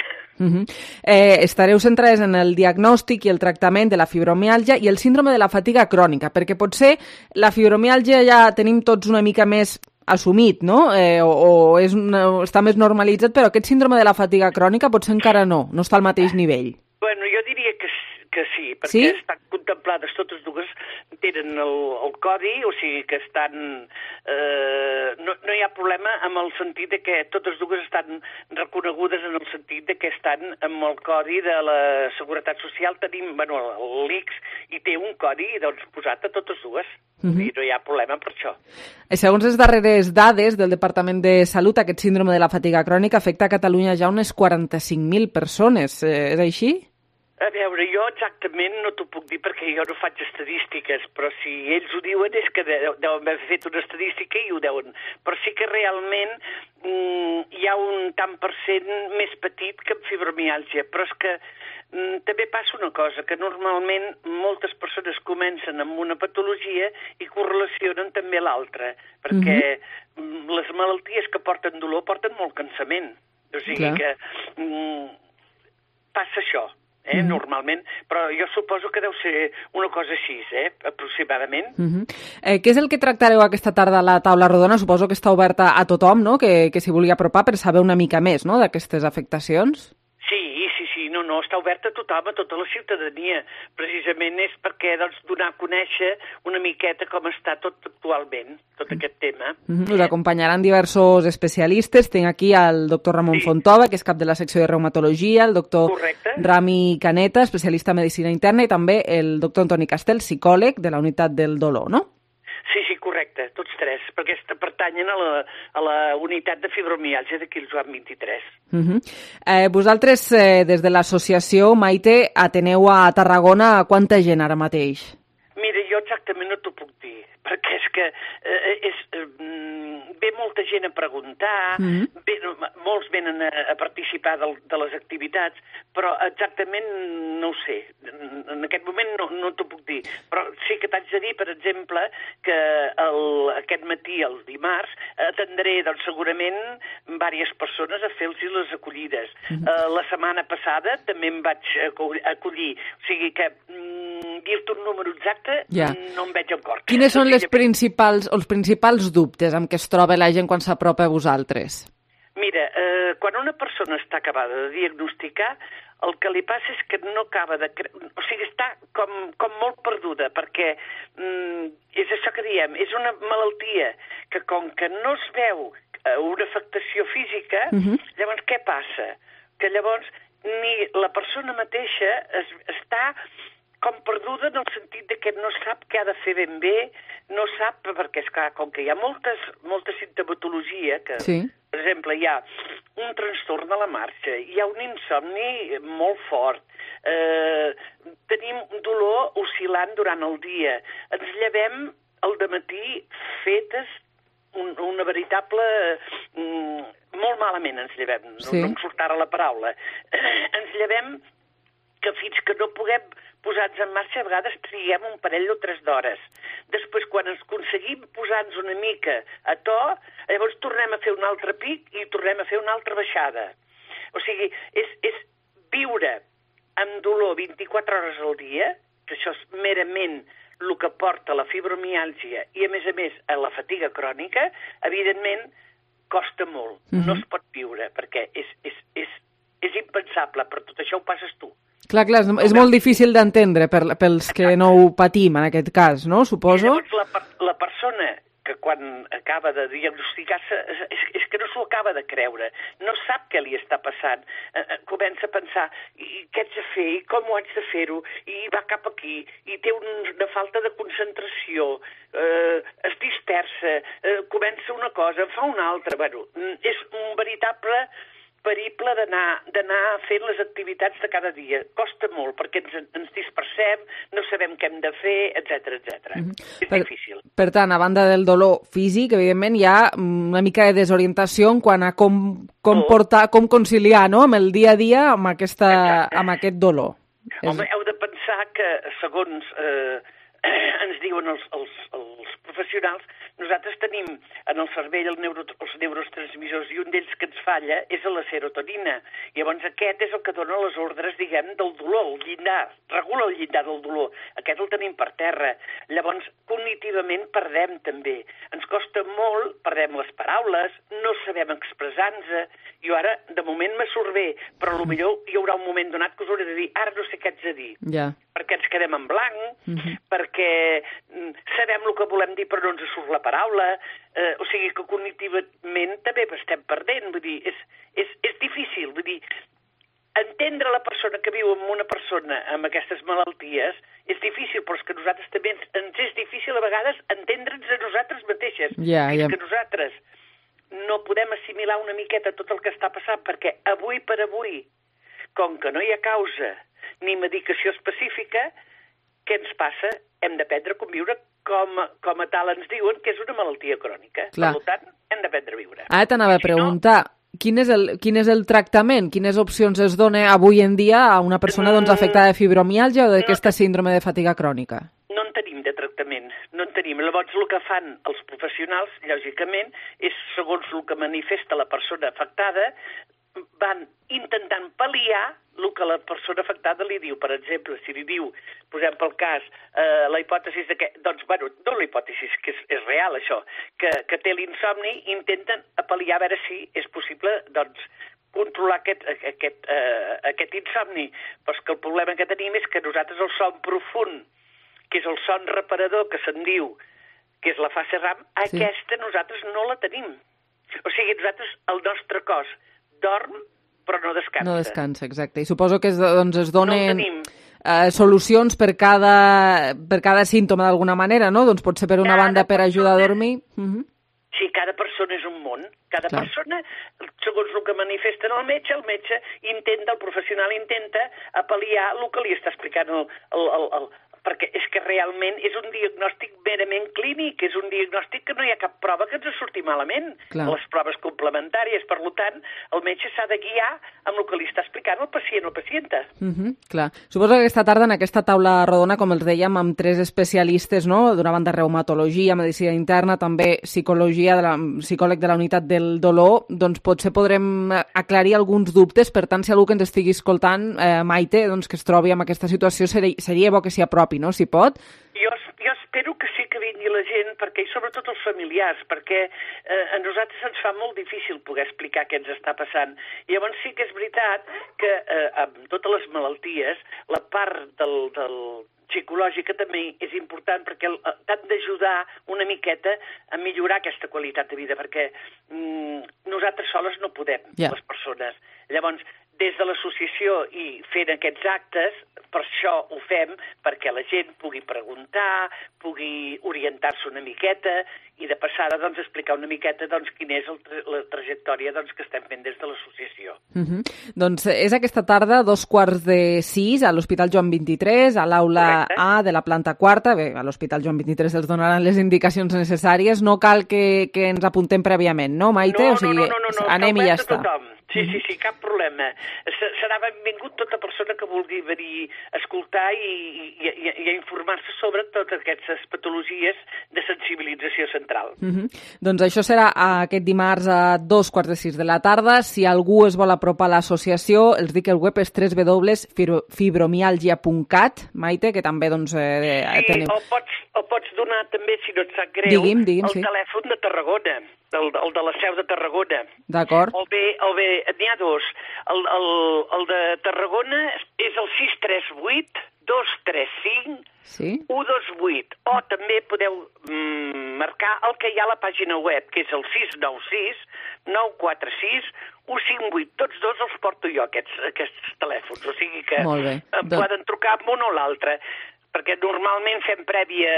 Estareu centrades en el diagnòstic i el tractament de la fibromiàlgia i el síndrome de la fatiga crònica, perquè potser la fibromiàlgia ja tenim tots una mica més assumit, no? O està més normalitzat, però aquest síndrome de la fatiga crònica potser encara no està al mateix nivell. Bueno, jo diria que sí, perquè estan contemplades totes dues, tenen el codi, o sigui que estan... no hi ha problema amb el sentit de que totes dues estan reconegudes en el sentit de que estan amb el codi de la Seguretat Social. Tenim, bueno, l'ICS i té un codi posat a totes dues. I no hi ha problema per això. Segons les darreres dades del Departament de Salut, aquest síndrome de la fatiga crònica afecta a Catalunya ja unes 45.000 persones. És així? A veure, jo exactament no t'ho puc dir perquè jo no faig estadístiques, però si ells ho diuen és que deuen haver fet una estadística i ho deuen. Però sí que realment hi ha un tant per cent més petit que amb fibromiàlgia, però és que també passa una cosa, que normalment moltes persones comencen amb una patologia i correlacionen també l'altra, perquè les malalties que porten dolor porten molt cansament. O sigui que passa això. Normalment, però jo suposo que deu ser una cosa així, aproximadament. Què és el que tractareu aquesta tarda a la taula rodona? Suposo que està oberta a tothom, no?, que s'hi vulgui apropar per saber una mica més, no?, d'aquestes afectacions. Sí, no, està oberta a tothom, a tota la ciutadania. Precisament és perquè donar a conèixer una miqueta com està tot actualment, tot aquest tema. Us acompanyaran diversos especialistes. Tinc aquí el doctor Ramon Fontova, que és cap de la secció de reumatologia, el doctor Rami Caneta, especialista en medicina interna, i també el doctor Antoni Castel, psicòleg de la unitat del dolor, no? Sí, correcte, tots tres, perquè pertanyen a la unitat de fibromiàlgia d'aquí el Joan 23. Vosaltres, des de l'associació Maite, ateneu a Tarragona quanta gent ara mateix? Mira, jo exactament no t'ho puc dir, perquè és que ve molta gent a preguntar, molts venen a participar de les activitats, però exactament no ho sé. En aquest moment no t'ho puc dir, però sí que t'haig de dir, per exemple, que aquest matí, el dimarts, atendré doncs, segurament diverses persones a fer-los les acollides. La setmana passada també em vaig acollir, o sigui que dir-te un número exacte no em veig en cor. Quines són els principals dubtes amb què es troba la gent quan s'apropa a vosaltres? Mira, quan una persona està acabada de diagnosticar, el que li passa és que no acaba de... O sigui, està com molt perduda, perquè és això que diem, és una malaltia que com que no es veu una afectació física, llavors què passa? Que llavors ni la persona mateixa està com perduda en el sentit de que no sap què ha de fer ben bé, no sap, perquè és clar, com que hi ha molta simptomatologia, que, per exemple, hi ha un trastorn de la marxa, hi ha un insomni molt fort, tenim dolor oscil·lant durant el dia, ens llevem al dematí fetes una veritable... molt malament ens llevem, no em surt ara la paraula. Ens llevem que fins que no puguem posar-nos en marxa, a vegades triguem un parell o 3 d'hores. Després, quan ens aconseguim posar-nos una mica a to, llavors tornem a fer un altre pic i tornem a fer una altra baixada. O sigui, és viure amb dolor 24 hores al dia, que això és merament el que porta la fibromiàlgia i, a més, a la fatiga crònica, evidentment, costa molt. No es pot viure, perquè és impensable, però tot això ho passes tu. Clar, és molt difícil d'entendre pels que no ho patim, en aquest cas, no? Suposo. I llavors la persona que quan acaba de diagnosticar-se és que no s'ho acaba de creure, no sap què li està passant, comença a pensar i què haig de fer, i com ho haig de fer-ho, i va cap aquí, i té una falta de concentració, es dispersa, comença una cosa, fa una altra, bueno, és un veritable periple d'anar fent les activitats de cada dia. Costa molt, perquè ens dispersem, no sabem què hem de fer, etc. És difícil. Per tant, a banda del dolor físic, evidentment, hi ha una mica de desorientació en quant a com conciliar, no?, amb el dia a dia amb aquest dolor. Home, heu de pensar que, segons ens diuen els professionals, nosaltres tenim en el cervell els neurotransmissors i un d'ells que ens falla és la serotonina. Llavors aquest és el que dona les ordres, diguem, del dolor, el llindar, regula el llindar del dolor. Aquest el tenim per terra. Llavors, cognitivament perdem també. Ens costa molt, perdem les paraules, no sabem expressar-nos. Jo ara, de moment, me surt bé, però potser hi haurà un moment donat que us hauré de dir, ara no sé què haig de dir. Perquè ens quedem en blanc, perquè sabem el que volem dir però no ens surt la paraula, o sigui que cognitivament també estem perdent, vull dir, és difícil, vull dir, entendre la persona que viu amb una persona amb aquestes malalties és difícil, però és que nosaltres també ens és difícil a vegades entendre'ns a nosaltres mateixes, és que nosaltres no podem assimilar una miqueta tot el que està passant, perquè avui per avui, com que no hi ha causa ni medicació específica, què ens passa? Hem d'aprendre a conviure com a tal ens diuen que és una malaltia crònica. Per tant, hem d'aprendre a viure. Ara t'anava a preguntar, quin és el tractament? Quines opcions es dona avui en dia a una persona afectada de fibromiàlgia o d'aquesta síndrome de fatiga crònica? No en tenim de tractament, no en tenim. Llavors el que fan els professionals, lògicament, és segons el que manifesta la persona afectada, van intentant pal·liar el que la persona afectada li diu. Per exemple, si li diu, posem pel cas, la hipòtesi de que, doncs, bueno, no la hipòtesi, que és real això, que té l'insomni, intenten pal·liar a veure si és possible, doncs, controlar aquest insomni. Però és que el problema que tenim és que nosaltres el son profund, que és el son reparador que se'n diu, que és la fase REM, aquesta nosaltres no la tenim. O sigui, nosaltres, el nostre cos dorm, però no descansa. No descansa, exacte. I suposo que es donen solucions per cada símptoma d'alguna manera, no? Doncs pot ser per una banda per ajudar a dormir. Sí, cada persona és un món. Cada persona, segons el que manifesta el metge intenta, el professional intenta apel·liar el que li està explicant perquè és que realment és un diagnòstic merament clínic, és un diagnòstic que no hi ha cap prova que ens surti malament. Les proves complementàries, per tant, el metge s'ha de guiar amb el que li està explicant el pacient o pacienta. Clar. Suposo que aquesta tarda en aquesta taula rodona, com els dèiem, amb 3 especialistes, no? D'una banda reumatologia, medicina interna, també psicòleg de la unitat del dolor, doncs potser podrem aclarir alguns dubtes, per tant, si algú que ens estigui escoltant, Maite, doncs que es trobi en aquesta situació, seria bo que s'hi apropi, no? Si pot. Jo espero que sí que vingui la gent, perquè, i sobretot els familiars, perquè a nosaltres ens fa molt difícil poder explicar què ens està passant. Llavors sí que és veritat que amb totes les malalties, la part del psicològica també és important perquè t'han d'ajudar una miqueta a millorar aquesta qualitat de vida, perquè nosaltres soles no podem, les persones. Llavors, des de l'associació i fent aquests actes, per això ho fem, perquè la gent pugui preguntar, pugui orientar-se una miqueta i de passada doncs, explicar una miqueta doncs, quina és la trajectòria doncs, que estem fent des de l'associació. Doncs és aquesta tarda, 5:45, a l'Hospital Joan 23, a l'aula A de la planta quarta. Bé, a l'Hospital Joan 23 els donaran les indicacions necessàries. No cal que ens apuntem prèviament, no, Maite? No, anem i ja està. Sí, cap problema. Serà benvingut tota persona que vulgui venir a escoltar i a informar-se sobre totes aquestes patologies de sensibilització central. Doncs això serà aquest dimarts a 5:45 de la tarda. Si algú es vol apropar a l'associació, els dic que el web és www.fibromialgia.cat, Maite, que també doncs, teniu... O pots donar també, si no et sap greu, digui'm, el telèfon de Tarragona, el de la seu de Tarragona. D'acord. O bé, n'hi ha 2. El de Tarragona és el 638-235-128. O també podeu marcar el que hi ha a la pàgina web, que és el 696-946-158. Tots 2 els porto jo, aquests telèfons. O sigui que poden trucar amb un o l'altre, perquè normalment fem prèvia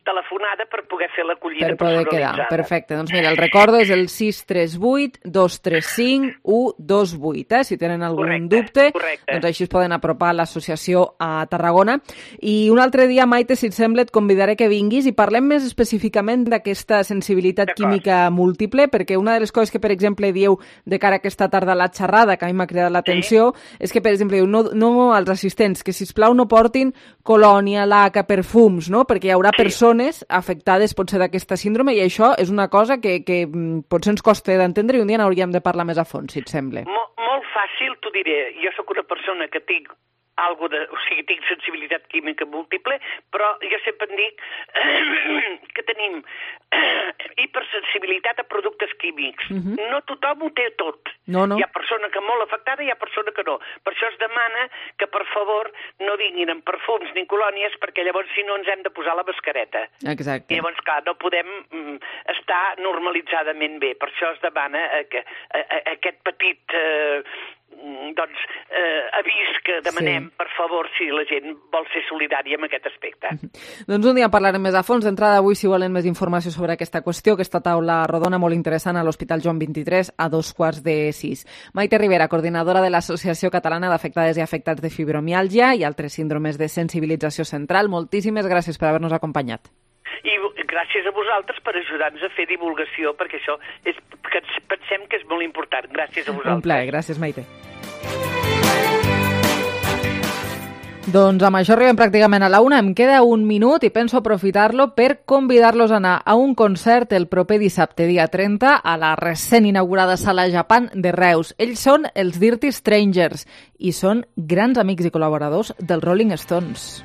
telefonada per poder fer l'acollida personalitzada. Per poder quedar, perfecte. Doncs mira, el recordo és el 638-235-128. Si tenen algun dubte, doncs així es poden apropar a l'associació a Tarragona. I un altre dia, Maite, si et sembla, et convidaré que vinguis i parlem més específicament d'aquesta sensibilitat química múltiple, perquè una de les coses que, per exemple, dieu de cara a aquesta tarda a la xerrada, que a mi m'ha cridat l'atenció, és que, per exemple, no als assistents, que sisplau no portin colònia, laca, perfums, no? Perquè hi haurà persones afectades potser d'aquesta síndrome i això és una cosa que potser ens costa d'entendre i un dia n'hauríem de parlar més a fons, si et sembla. Molt fàcil, t'ho diré. Jo sóc una persona que tinc tinc sensibilitat química múltiple, però jo sempre dic que tenim hipersensibilitat a productes químics. No tothom ho té tot. Hi ha persona que molt afectada i hi ha persona que no. Per això es demana que, per favor, no vinguin amb perfums ni colònies, perquè llavors si no ens hem de posar la mascareta. Exacte. I llavors, clar, no podem estar normalitzadament bé. Per això es demana aquest petit avís que demanem, per favor, si la gent vol ser solidària amb aquest aspecte. Doncs un dia parlarem més a fons. D'entrada avui, si volen més informació sobre aquesta qüestió, aquesta taula rodona molt interessant a l'Hospital Joan 23 a 5:45. Maite Rivera, coordinadora de l'Associació Catalana d'Afectades i Afectats de Fibromiàlgia i altres síndromes de sensibilització central, moltíssimes gràcies per haver-nos acompanyat. I gràcies a vosaltres per ajudar-nos a fer divulgació, perquè això pensem que és molt important. Gràcies a vosaltres. Un plaer, gràcies, Maite. Doncs amb això arribem pràcticament a la 1. Em queda un minut i penso aprofitar-lo per convidar-los a anar a un concert el proper dissabte, dia 30, a la recent inaugurada Sala Japan de Reus. Ells són els Dirty Strangers i són grans amics i col·laboradors dels Rolling Stones.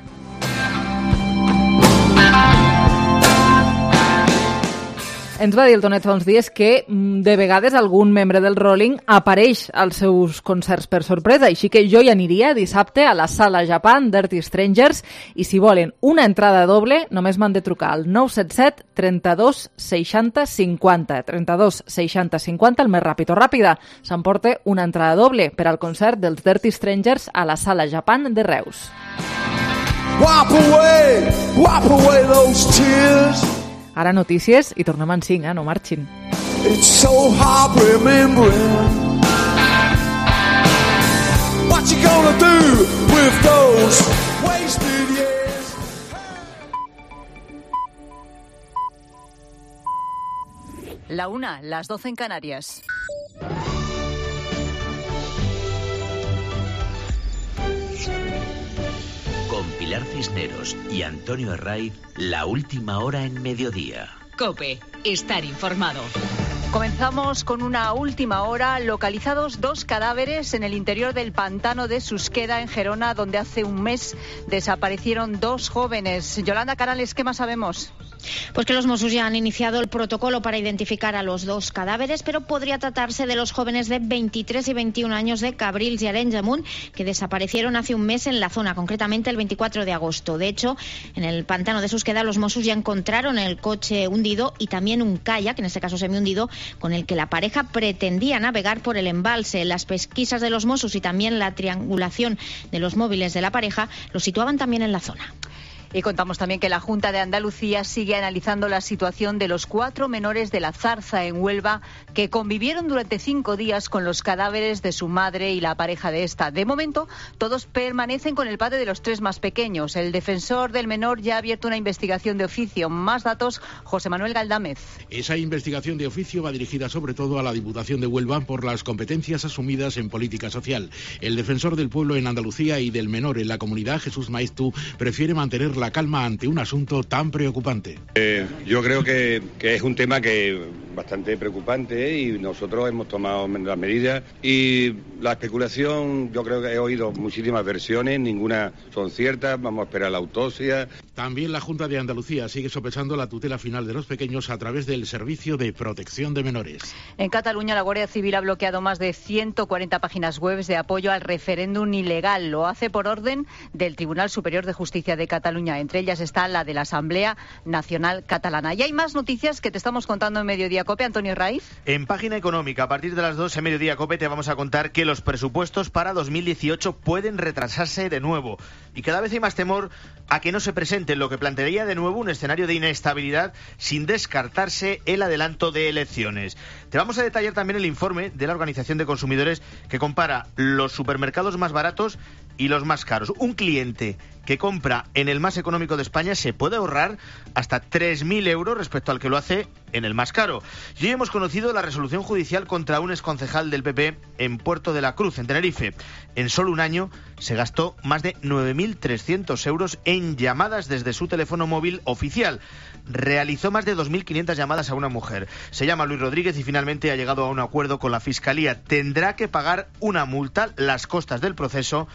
Ens va dir el Tonet fa uns dies que de vegades algun membre del Rolling apareix als seus concerts per sorpresa, així que jo hi aniria dissabte a la Sala Japan Dirty Strangers i si volen una entrada doble només m'han de trucar al 977 32 60 50. 32 60 50, el més ràpid o ràpida. S'emporta una entrada doble per al concert dels Dirty Strangers a la Sala Japan de Reus. Wipe away those tears. Ara notícies i tornem en 5, no marxin. It's so hard remembering. What you gonna do with those wasted years? La 1, las 12 en Canarias. Con Pilar Cisneros y Antonio Herraiz, la última hora en mediodía. COPE, estar informado. Comenzamos con una última hora. Localizados 2 cadáveres en el interior del pantano de Susqueda, en Gerona, donde hace un mes desaparecieron 2 jóvenes. Yolanda Canales, ¿qué más sabemos? Pues que los Mossos ya han iniciado el protocolo para identificar a los 2 cadáveres, pero podría tratarse de los jóvenes de 23 y 21 años de Cabrils y Arenys de Munt, que desaparecieron hace un mes en la zona, concretamente el 24 de agosto. De hecho, en el pantano de Susqueda los Mossos ya encontraron el coche hundido y también un kayak, en este caso semihundido, con el que la pareja pretendía navegar por el embalse. Las pesquisas de los Mossos y también la triangulación de los móviles de la pareja los situaban también en la zona. Y contamos también que la Junta de Andalucía sigue analizando la situación de los 4 menores de La Zarza, en Huelva, que convivieron durante 5 días con los cadáveres de su madre y la pareja de esta. De momento, todos permanecen con el padre de los 3 más pequeños. El defensor del menor ya ha abierto una investigación de oficio. Más datos, José Manuel Galdámez. Esa investigación de oficio va dirigida sobre todo a la Diputación de Huelva por las competencias asumidas en política social. El defensor del pueblo en Andalucía y del menor en la comunidad, Jesús Maeztu, prefiere mantener la calma ante un asunto tan preocupante. Yo creo que es un tema que bastante preocupante y nosotros hemos tomado las medidas y la especulación, yo creo que he oído muchísimas versiones, ninguna son ciertas, vamos a esperar la autopsia. También la Junta de Andalucía sigue sopesando la tutela final de los pequeños a través del Servicio de Protección de Menores. En Cataluña, la Guardia Civil ha bloqueado más de 140 páginas web de apoyo al referéndum ilegal. Lo hace por orden del Tribunal Superior de Justicia de Cataluña. Entre ellas está la de la Asamblea Nacional Catalana. Y hay más noticias que te estamos contando en Mediodía COPE, Antonio Herraiz. En Página Económica, a partir de las 2 en Mediodía COPE te vamos a contar que los presupuestos para 2018 pueden retrasarse de nuevo. Y cada vez hay más temor a que no se presenten, lo que plantearía de nuevo un escenario de inestabilidad sin descartarse el adelanto de elecciones. Te vamos a detallar también el informe de la Organización de Consumidores que compara los supermercados más baratos y los más caros. Un cliente que compra en el más económico de España se puede ahorrar hasta 3.000 euros respecto al que lo hace en el más caro. Y hoy hemos conocido la resolución judicial contra un exconcejal del PP en Puerto de la Cruz, en Tenerife. En solo un año se gastó más de 9.300 euros en llamadas desde su teléfono móvil oficial. Realizó más de 2.500 llamadas a una mujer. Se llama Luis Rodríguez y finalmente ha llegado a un acuerdo con la Fiscalía. Tendrá que pagar una multa, las costas del proceso,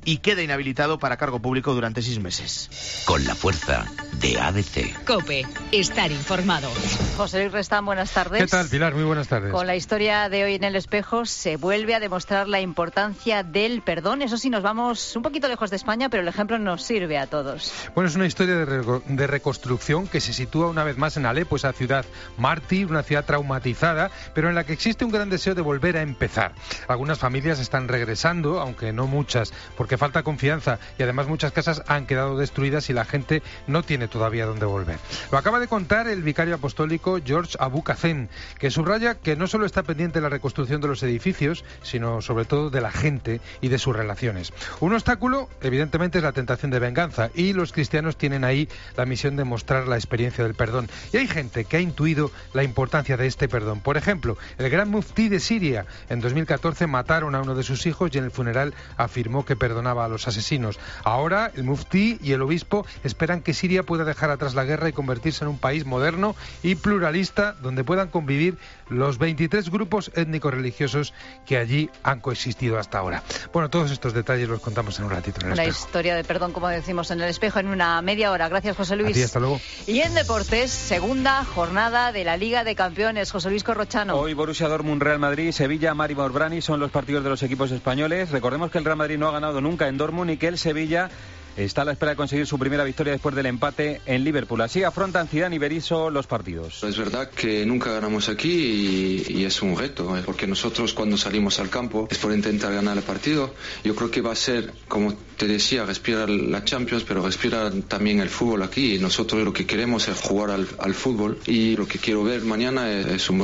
y queda inhabilitado para cargo público durante 6 meses. Con la fuerza de ABC. COPE, estar informado. José Luis Restán, buenas tardes. ¿Qué tal, Pilar? Muy buenas tardes. Con la historia de hoy en El Espejo se vuelve a demostrar la importancia del perdón. Eso sí, nos vamos un poquito lejos de España, pero el ejemplo nos sirve a todos. Bueno, es una historia de reconstrucción que se sitúa una vez más en Alepo, esa ciudad mártir, una ciudad traumatizada, pero en la que existe un gran deseo de volver a empezar. Algunas familias están regresando, aunque no muchas, porque falta confianza y además muchas casas han quedado destruidas y la gente no tiene todavía dónde volver. Lo acaba de contar el vicario apostólico George Abucacén, que subraya que no solo está pendiente de la reconstrucción de los edificios, sino sobre todo de la gente y de sus relaciones. Un obstáculo, evidentemente, es la tentación de venganza y los cristianos tienen ahí la misión de mostrar la experiencia del perdón. Y hay gente que ha intuido la importancia de este perdón. Por ejemplo, el gran muftí de Siria en 2014 mataron a uno de sus hijos y en el funeral afirmó que perdonó perdonaba a los asesinos. Ahora el muftí y el obispo esperan que Siria pueda dejar atrás la guerra y convertirse en un país moderno y pluralista donde puedan convivir los 23 grupos étnico-religiosos que allí han coexistido hasta ahora. Bueno, todos estos detalles los contamos en un ratito en el Una espejo. historia de perdón, como decimos en el espejo, en una media hora. Gracias, José Luis. A ti, hasta luego. Y en deportes, segunda jornada de la Liga de Campeones. José Luis Corrochano. Hoy Borussia Dortmund, Real Madrid, Sevilla, Maribor Brani son los partidos de los equipos españoles. Recordemos que el Real Madrid no ha ganado nunca en Dortmund y que el Sevilla está a la espera de conseguir su primera victoria después del empate en Liverpool. Así afrontan Zidane y Berizzo los partidos. Es verdad que nunca ganamos aquí y es un reto, porque nosotros cuando salimos al campo es por intentar ganar el partido. Yo creo que va a ser, como te decía, respirar la Champions, pero respirar también el fútbol aquí. Nosotros lo que queremos es jugar al fútbol y lo que quiero ver mañana es un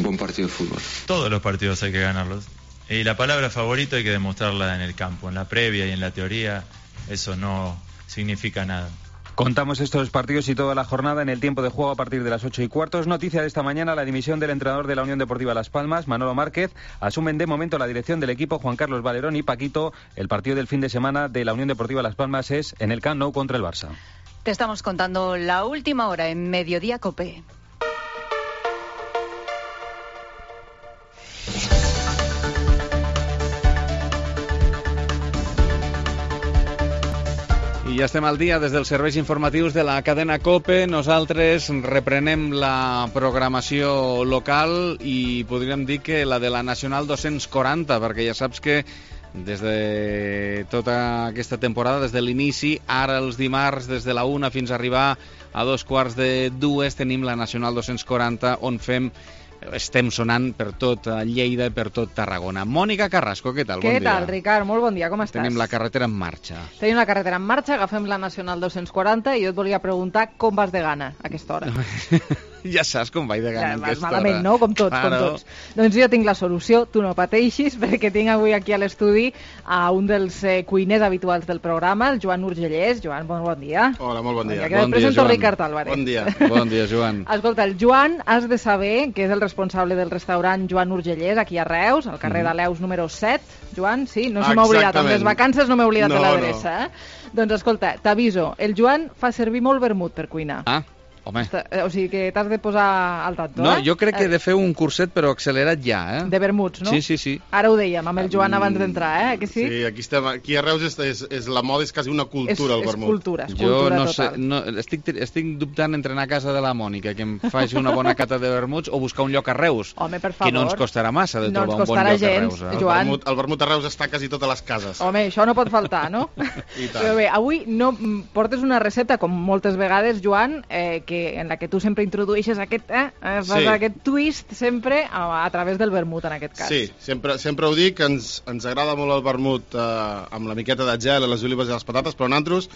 buen partido de fútbol. Todos los partidos hay que ganarlos. Y la palabra favorito hay que demostrarla en el campo, en la previa y en la teoría. Eso no significa nada. Contamos estos partidos y toda la jornada en el tiempo de juego a partir de las 8:15. Noticia de esta mañana, la dimisión del entrenador de la Unión Deportiva Las Palmas, Manolo Márquez. Asumen de momento la dirección del equipo Juan Carlos Valerón y Paquito. El partido del fin de semana de la Unión Deportiva Las Palmas es en el Camp Nou contra el Barça. Te estamos contando la última hora en Mediodía Cope. I ja estem al dia des dels serveis informatius de la cadena COPE. Nosaltres reprenem la programació local i podríem dir que la de la Nacional 240, perquè ja saps que des de tota aquesta temporada, des de l'inici, ara els dimarts, des de la 1 fins a arribar a 2:45, tenim la Nacional 240, on estem sonant per tot Lleida i per tot Tarragona. Mònica Carrasco, què tal? Bon dia. Què tal, Ricard? Molt bon dia, com estàs? Tenim la carretera en marxa. Tenim la carretera en marxa, agafem la Nacional 240 i jo et volia preguntar com vas de gana a aquesta hora. Ja saps com vaig de gana en aquesta hora. Malament, no? Com tots, claro. com tots. Doncs jo tinc la solució, tu no pateixis, perquè tinc avui aquí a l'estudi a un dels cuiners habituals del programa, el Joan Urgellès. Joan, bon dia. Hola, molt bon dia. Bon dia, Joan. Ricard Álvarez. Bon dia, Joan. Escolta, el Joan, has de saber que és el responsable del restaurant Joan Urgellès, aquí a Reus, al carrer de Leus número 7. Joan, sí? No se m'ha oblidat, amb les vacances no m'he oblidat de l'adreça. Doncs escolta, t'aviso, el Joan fa servir molt vermut per cuinar. Ah, home. O sigui que t'has de posar al tanto, No, jo crec que he de fer un curset, però accelerat ja, eh? De vermuts, no? Sí. Ara ho dèiem, amb el Joan abans d'entrar, que sí? Sí, aquí a Reus és la moda, és quasi una cultura, el vermut. És cultura jo no total. Sé, estic dubtant entre anar a casa de la Mònica, que em faci una bona cata de vermuts, o buscar un lloc a Reus. Home, per favor. Que no ens costarà massa de trobar un bon lloc a Reus. Joan. El vermut a Reus està quasi totes les cases. Home, això no pot faltar, no? I tant. Però bé, avui no portes una recepta, com moltes vegades, Joan, en la que tu sempre introdueixes aquest twist sempre a través del vermut, en aquest cas. Sí, sempre ho dic, ens agrada molt el vermut amb la miqueta de gel, les olives i les patates, però nosaltres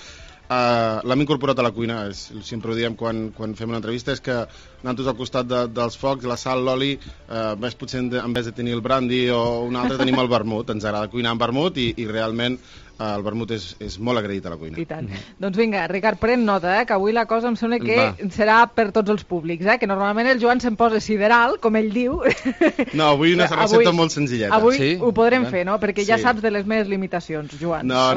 l'hem incorporat a la cuina. Sempre ho diem quan fem una entrevista, és que nosaltres al costat dels focs, la sal, l'oli, potser en vez de tenir el brandy o un altre tenim el vermut. Ens agrada cuinar amb vermut i realment el vermut és molt agraït a la cuina. I tant. Doncs vinga, Ricard, pren nota, que avui la cosa em sembla que serà per tots els públics, que normalment el Joan se'n posa sideral, com ell diu. No, avui una recepta molt senzilleta. Avui ho podrem fer, no? Perquè ja saps de les meves limitacions, Joan. No.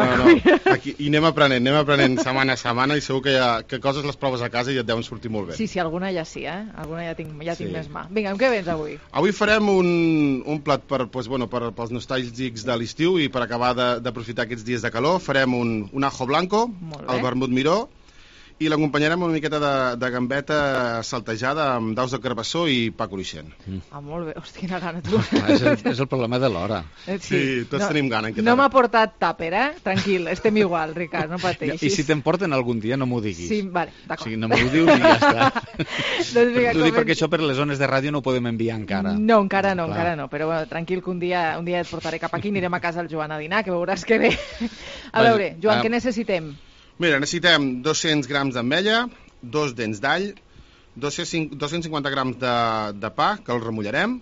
Aquí, i anem aprenent setmana a setmana i segur que coses les proves a casa i et deuen sortir molt bé. Sí, alguna ja sí, alguna ja tinc més mà. Vinga, amb què vens avui? Avui farem un plat pels nostàlgics de l'estiu i per acabar d'aprofitar aquests dies de calor. Farem un ajo blanco, el vermut miró, i l'acompanyarem una miqueta de gambeta saltejada amb daus de carbassó i pa cruixent. Molt bé, hòstia, quina gana, tu. És el problema de l'hora. Sí, tots tenim gana. No m'ha portat tàper, Tranquil, estem igual, Ricard, no pateixis. I si te'n porten algun dia, no m'ho diguis. Sí, vale, d'acord. O sigui, no m'ho dius i ja està. T'ho dic perquè això per les zones de ràdio no ho podem enviar encara. No, encara no, però bueno, tranquil, que un dia et portaré cap aquí, anirem a casa al Joan a dinar, que veuràs que bé. A veure, Joan, què necessitem? Mira, necessitem 200 grams d'ametlla, 2 dents d'all, 250 grams de pa, que el remullarem,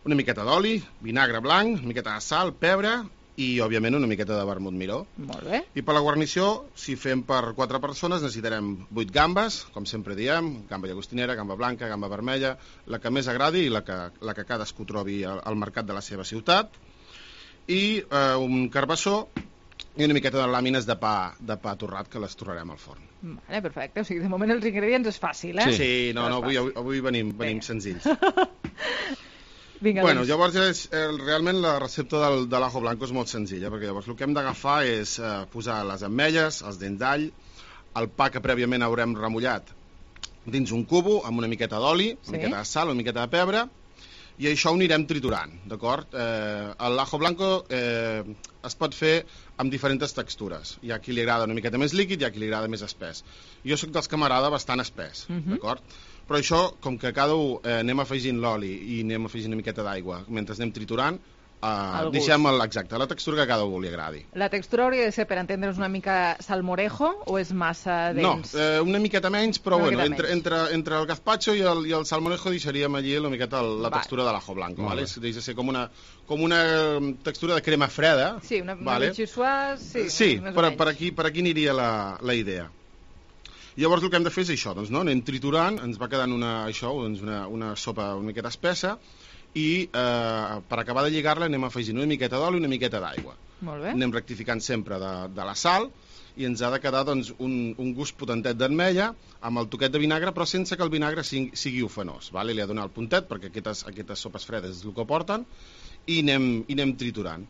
una miqueta d'oli, vinagre blanc, una miqueta de sal, pebre i, òbviament, una miqueta de vermut miró. Molt bé. I per la guarnició, si fem per 4 persones, necessitarem 8 gambes, com sempre diem, gamba llagostinera, gamba blanca, gamba vermella, la que més agradi i la que cadascú trobi al mercat de la seva ciutat, i un carbassó, i una miqueta de làmines de pa torrat que les torrarem al forn. Vale, perfecte. O sigui, de moment els ingredients és fàcil, eh? Sí, no, avui venim senzills. Vinga, bueno, llavors realment la recepta de l'ajo blanco és molt senzilla, perquè llavors el que hem d'agafar és posar les ametlles, els dents d'all, el pa que prèviament haurem remullat dins un cubo amb una miqueta d'oli, una miqueta de sal, una miqueta de pebre, i això ho anirem triturant, d'acord? L'ajo blanco es pot fer amb diferents textures. Hi ha qui li agrada una miqueta més líquid, hi ha qui li agrada més espès. Jo soc dels que m'agrada bastant espès, d'acord? Però això, com que cada un anem afegint l'oli i anem afegint una miqueta d'aigua mentre anem triturant, deixem la textura que a cada un li agradi. La textura hauria de ser, per entendre's, una mica salmorejo o és massa dens? No, una miqueta menys, però bueno, entre el gazpacho i el salmorejo deixaríem allí una miqueta la textura de l'ajo blanco, ¿vale? Deixa ser com una textura de crema freda. Sí, una bitxissuà, sí, per aquí aniria la idea. Llavors el que hem de fer és això, doncs, no? Anem triturant, ens va quedant una sopa una miqueta espessa, i per acabar de lligar-la anem afegint una miqueta d'oli i una miqueta d'aigua. Molt bé. Anem rectificant sempre de la sal i ens ha de quedar doncs, un gust potentet d'ametlla amb el toquet de vinagre, però sense que el vinagre sigui ofenós, vale? Li ha de donar el puntet perquè aquestes sopes fredes és el que porten, i anem triturant.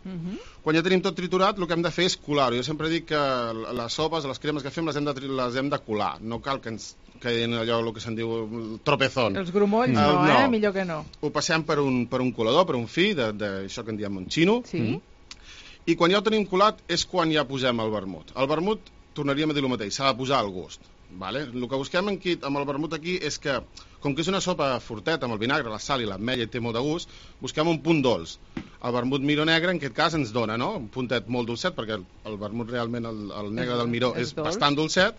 Quan ja tenim tot triturat, el que hem de fer és colar-ho. Jo sempre dic que les sopes, les cremes que fem les hem de colar, no cal que ens quedin allò el que se'n diu el tropezón. Els grumolls no, millor que no. Ho passem per un colador, per un fi, d'això que en diem monchino, i quan ja ho tenim colat és quan ja posem el vermut. El vermut, tornaríem a dir el mateix, s'ha de posar al gust. Vale? El que busquem amb el vermut aquí és que, com que és una sopa forteta amb el vinagre, la sal i l'ametlla i té molt de gust, busquem un punt dolç. El vermut miró negre en aquest cas ens dona, no? Un puntet molt dolcet, perquè el vermut realment, el negre del miró és bastant dolcet,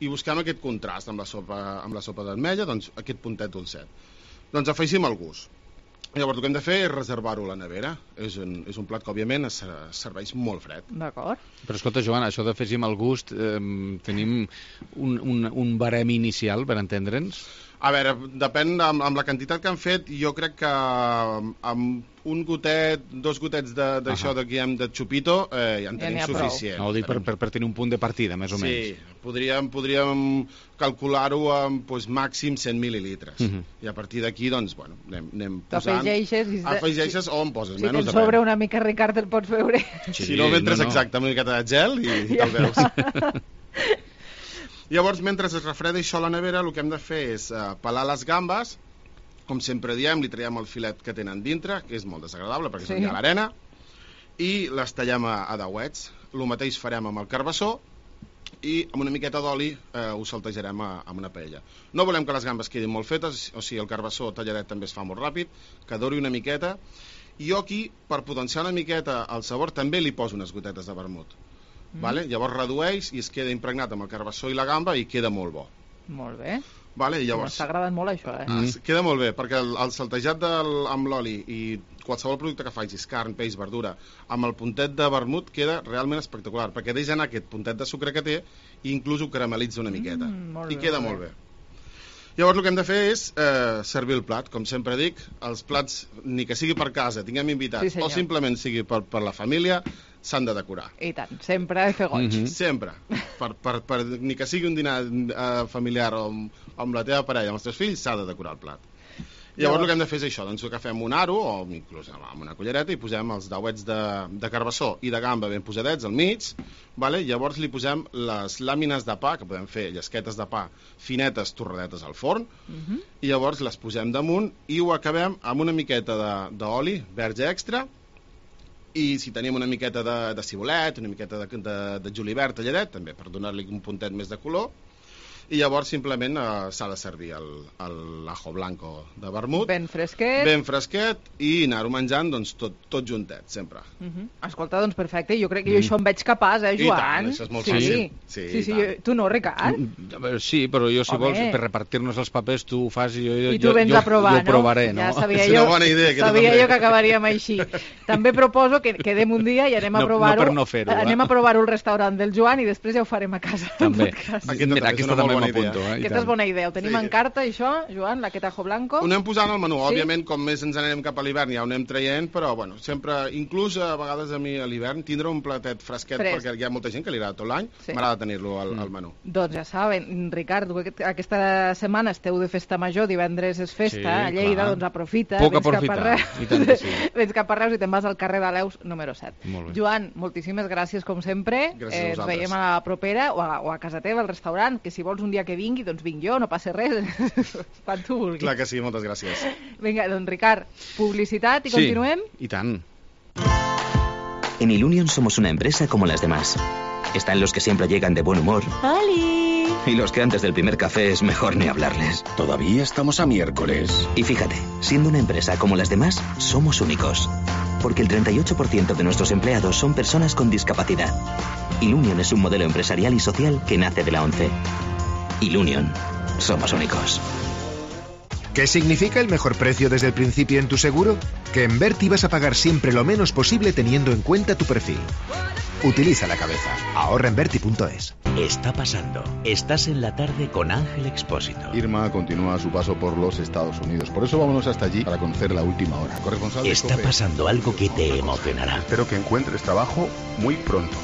i busquem aquest contrast amb la sopa d'ametlla, doncs aquest puntet dolcet. Doncs afegim el gust. Llavors el que hem de fer és reservar-ho a la nevera. És un plat que òbviament es serveix molt fred. D'acord. Però escolta, Joana, això d'afegim el gust, tenim un barem inicial per entendre'ns? A veure, depèn amb la quantitat que han fet, jo crec que amb un gotet, 2 gotets d'això que hem de xupito, ja en tenim suficient. No, ho dic per tenir un punt de partida, més o menys. Sí, podríem calcular-ho amb màxim 100 mil·lilitres. I a partir d'aquí, doncs, bueno, anem posant... Afegeixes o en poses menys. Si te'n sobra una mica, Ricard, el pots veure. Si no, mentres exacte, una miqueta de gel i te'l veus. Llavors, mentre es refreda això a la nevera, el que hem de fer és pelar les gambes, com sempre diem, li traiem el filet que tenen dintre, que és molt desagradable perquè és on hi ha l'arena, i les tallem a dauets. El mateix farem amb el carbassó i amb una miqueta d'oli ho saltejarem amb una paella. No volem que les gambes quedin molt fetes, o sigui, el carbassó talladet també es fa molt ràpid, que dori una miqueta, i jo aquí, per potenciar una miqueta el sabor, també li poso unes gotetes de vermut. Vale? Llavors redueix i es queda impregnat amb el carbassó i la gamba i queda molt bo. Molt bé. Vale? M'està agradant molt això, Queda molt bé, perquè el saltejat amb l'oli i qualsevol producte que facis, carn, peix, verdura, amb el puntet de vermut queda realment espectacular, perquè deixa anar aquest puntet de sucre que té i inclús ho caramelitza una miqueta. I queda molt bé. Llavors el que hem de fer és servir el plat. Com sempre dic, els plats, ni que sigui per casa, tinguem invitats, o simplement sigui per la família, s'han de decorar. I tant, sempre fer goig. Sempre. Ni que sigui un dinar familiar o amb la teva parella, amb els teus fills, s'ha de decorar el plat. Llavors el que hem de fer és això, doncs agafem un aro o inclús amb una cullereta i posem els dauets de carbassó i de gamba ben posadets al mig, vale? Llavors li posem les làmines de pa, que podem fer llesquetes de pa finetes torradetes al forn, i llavors les posem damunt i ho acabem amb una miqueta d'oli verge extra, i si tenim una miqueta de cibolet, una miqueta de julivert talladet, també per donar-li un puntet més de color, i llavors simplement s'ha de servir l'ajo blanco de vermut ben fresquet i anar-ho menjant doncs, tot juntet, sempre. Escolta, doncs perfecte, jo crec que jo això em veig capaç, Joan? I tant, això és molt fàcil. Sí, tu no, Ricard? Sí, però jo si vols per repartir-nos els papers tu ho fas i tu vens a provar, jo provaré, no? Ja sabia jo que acabaríem així. També proposo que quedem un dia i anem a provar-ho. No per no fer-ho. Anem a provar-ho al restaurant del Joan i després ja ho farem a casa. També. Mira, aquesta també m'apunto. Aquesta és bona idea. Ho tenim en carta, això, Joan, la Quetajo Blanco? Ho anem posant al menú. Òbviament, com més ens anem cap a l'hivern, ja ho anem traient, però, bueno, sempre, inclús a vegades a mi a l'hivern, tindre un platet fresquet, perquè hi ha molta gent que li agrada tot l'any, m'agrada tenir-lo al menú. Doncs ja saben, Ricard, aquesta setmana esteu de festa major, divendres és festa, a Lleida, doncs aprofita. Puc aprofitar, i tant que sí. Vens cap a Reus i te'n vas al carrer de l'Eus número 7. Joan, moltíssimes gràcies com sempre. Gràcies a vosaltres. Ens veiem a la propera o a casa teva, al restaurant, que si vols un dia que vingui, doncs vinc jo, no passa res. Quan tu vulguis. Clar que sí, moltes gràcies. Vinga, doncs Ricard, publicitat i continuem? I tant. En Ilunion somos una empresa como las demás. Están los que siempre llegan de buen humor. ¡Holi! Y los que antes del primer café es mejor ni hablarles. Todavía estamos a miércoles. Y fíjate, siendo una empresa como las demás, somos únicos. Porque el 38% de nuestros empleados son personas con discapacidad. Ilunion es un modelo empresarial y social que nace de la ONCE. Ilunion. Somos únicos. ¿Qué significa el mejor precio desde el principio en tu seguro? Que en Berti vas a pagar siempre lo menos posible teniendo en cuenta tu perfil. Utiliza la cabeza. Ahorra en Berti.es. Está pasando. Estás en la tarde con Ángel Expósito. Irma continúa su paso por los Estados Unidos. Por eso vámonos hasta allí para conocer la última hora. Corresponsal de Está COPE. pasando algo que te emocionará. Espero que encuentres trabajo muy pronto.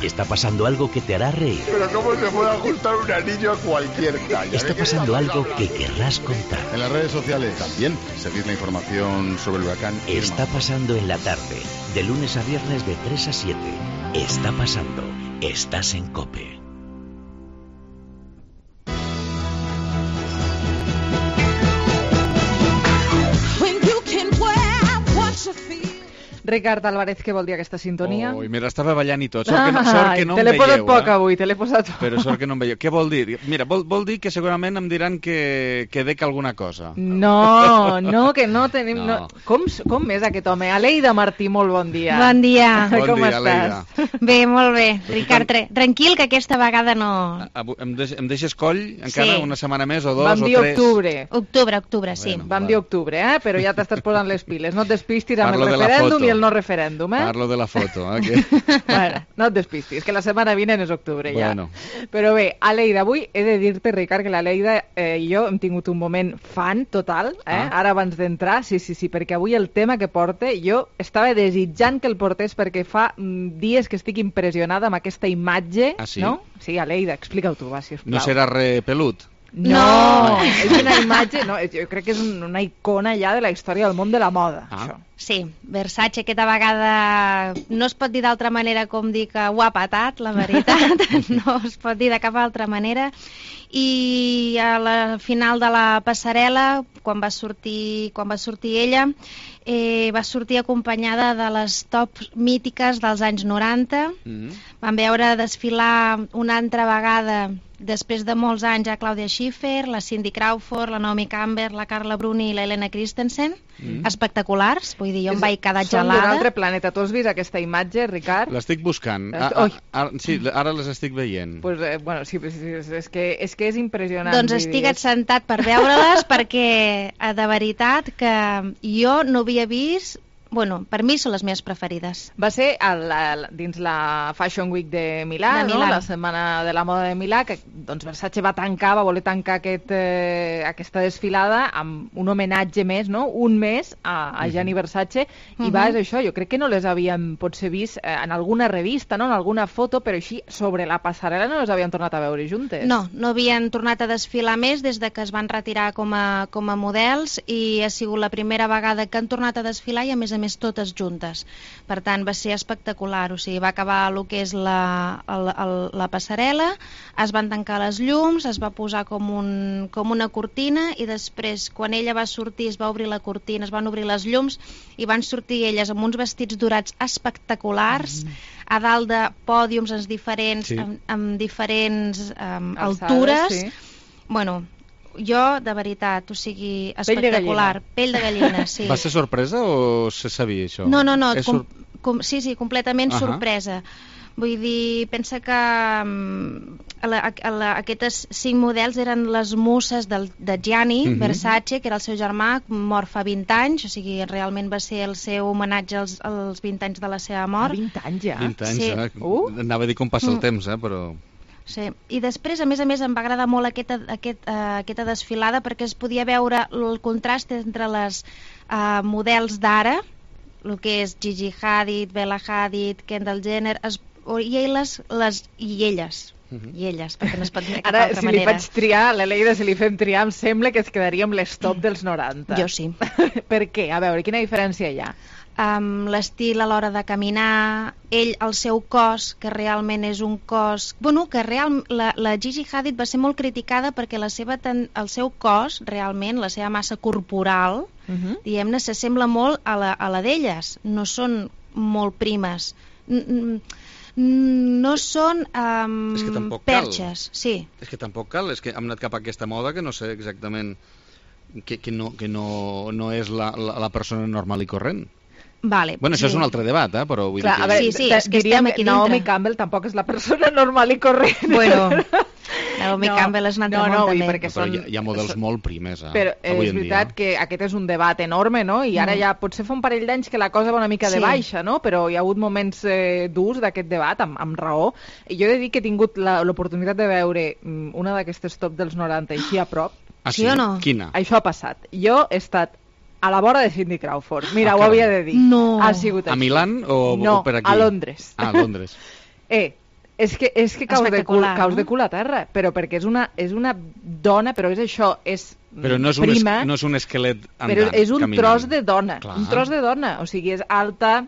Está pasando algo que te hará reír. Pero ¿cómo se puede ajustar un anillo a cualquier talla? Está pasando algo que querrás contar. En las redes sociales también seguid la información sobre el huracán Irma. Está pasando en la tarde, de lunes a viernes de 3 a 7. Está pasando. Estás en COPE. Ricard Álvarez, què vol dir aquesta sintonia? Ui, mira, estava ballant i tot. Sort que no te em l'he posat veieu, poc avui, te l'he posat poc. Però sort que no em veieu. Què vol dir? Mira, vol dir que segurament em diran que dec alguna cosa. No, que no tenim... No. Com és aquest home? Aleida Martí, molt bon dia. Bon dia. Com dia, estàs? Aleida. Bé, molt bé. Ricard, tranquil, que aquesta vegada no... Em deixes coll encara una setmana més o dos Vam o dir tres? Octubre, sí. Vam dir octubre, però ja t'estàs posant les piles. No et despistis amb Parlo el de la referèndum foto. i el no referèndum, Parlo de la foto, que... Bueno, no et despistis, que la setmana vinent és octubre ja. Bueno. Però bé, Aleida, avui he de dir-te, Ricard, que l'Aleida i jo hem tingut un moment fan total, ara abans d'entrar, sí, perquè avui el tema que porta, jo estava desitjant que el portés perquè fa dies que estic impressionada amb aquesta imatge, sí? no? Sí, Aleida, explica-ho tu, va, sisplau. No serà repelut? No, és una imatge, no, jo crec que és una icona ja de la història del món de la moda, això. Sí, Versace aquesta vegada no es pot dir d'altra manera com dir que ho ha patat, la veritat, no es pot dir de cap altra manera. I a la final de la passarel·la, quan va sortir ella, va sortir acompanyada de les tops mítiques dels anys 90. Vam veure desfilar una altra vegada, després de molts anys, a Claudia Schiffer, la Cindy Crawford, la Naomi Campbell, la Carla Bruni i la Helena Christensen. Espectaculars, vull dir, jo em vaig quedar gelada. Són d'un altre planeta. Tu has vist aquesta imatge, Ricard? L'estic buscant. Sí, ara les estic veient. Pues, bueno, sí, és que és impressionant. Doncs estigue't sentat per veure-les perquè, de veritat, que jo no havia vist... Bueno, per mi són les meves preferides. Va ser dins la Fashion Week de Milà, no? La setmana de la moda de Milà, que doncs Versace va voler tancar aquesta desfilada amb un homenatge més, no? Un mes a Gianni Versace, i és això, jo crec que no les havíem potser vist en alguna revista, no? En alguna foto, però així sobre la passarel·la no les havien tornat a veure juntes. No havien tornat a desfilar més des de que es van retirar com a models, i ha sigut la primera vegada que han tornat a desfilar i a més totes juntes. Per tant, va ser espectacular. O sigui, va acabar el que és la passarel·la, es van tancar les llums, es va posar com una cortina, i després, quan ella va sortir, es va obrir la cortina, es van obrir les llums, i van sortir elles amb uns vestits dorats espectaculars, a dalt de pòdiums amb diferents altures. Bueno, jo, de veritat, o sigui, espectacular. Pell de gallina, sí. Va ser sorpresa o se sabia això? No, sí, completament sorpresa. Vull dir, pensa que aquestes 5 models eren les muses de Gianni Versace, que era el seu germà, mort fa 20 anys, o sigui, realment va ser el seu homenatge als 20 anys de la seva mort. 20 anys ja? 20 anys, Anava a dir com passa el temps, però... Sí. I després, a més, em va agradar molt aquesta desfilada perquè es podia veure el contrast entre les models d'ara, el que és Gigi Hadid, Bella Hadid, Kendall Jenner, i elles, perquè no es pot dir de cap Ara, altra si manera. li faig triar, l'Eleida, si li fem triar, em sembla que es quedaria amb les top dels 90. Jo sí. Per què? A veure, quina diferència hi ha? L'estil a l'hora de caminar, el seu cos, que realment és un cos... Bueno, que la Gigi Hadid va ser molt criticada perquè el seu cos, realment, la seva massa corporal, diguem-ne, s'assembla molt a la d'elles. No són molt primes. No són és que tampoc perxes. Sí. És que tampoc cal, és que hem anat cap a aquesta moda que no sé exactament que no és la persona normal i corrent. Vale, bueno, això és un altre debat, però vull dir que... A veure, és que estem aquí dintre. Naomi Campbell tampoc és la persona normal i corrent. Bueno, Naomi Campbell és un altre món també. Perquè però hi ha models molt primes però avui és en veritat dia. que aquest és un debat enorme, no? I ara ja potser fa un parell d'anys que la cosa va una mica de baixa, no? Però hi ha hagut moments durs d'aquest debat, amb raó. I jo he de dir que he tingut l'oportunitat de veure una d'aquestes top dels 90 així a prop. Sí o no? Quina? Això ha passat. Jo he estat a la vora de Cindy Crawford. Mira, ho havia de dir. No. Ha sigut així. A Milán o per aquí? A Londres. A Londres. És que caus de cul a terra, però perquè és una dona, però és això, és però no és prima. No és un esquelet andant, però és un caminant. tros de dona. Clar. Un tros de dona. O sigui, és alta,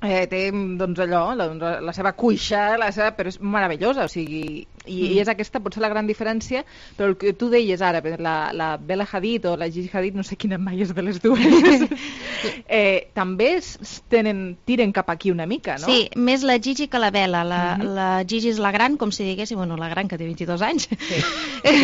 té doncs allò, la seva cuixa, però és meravellosa, o sigui, i és aquesta potser la gran diferència, però el que tu deies ara, la Bella Hadid o la Gigi Hadid, no sé quina mai és de les dues, també tiren cap aquí una mica, no? Sí, més la Gigi que la Bella. La Gigi és la gran, com si diguéssim, bueno, la gran que té 22 anys,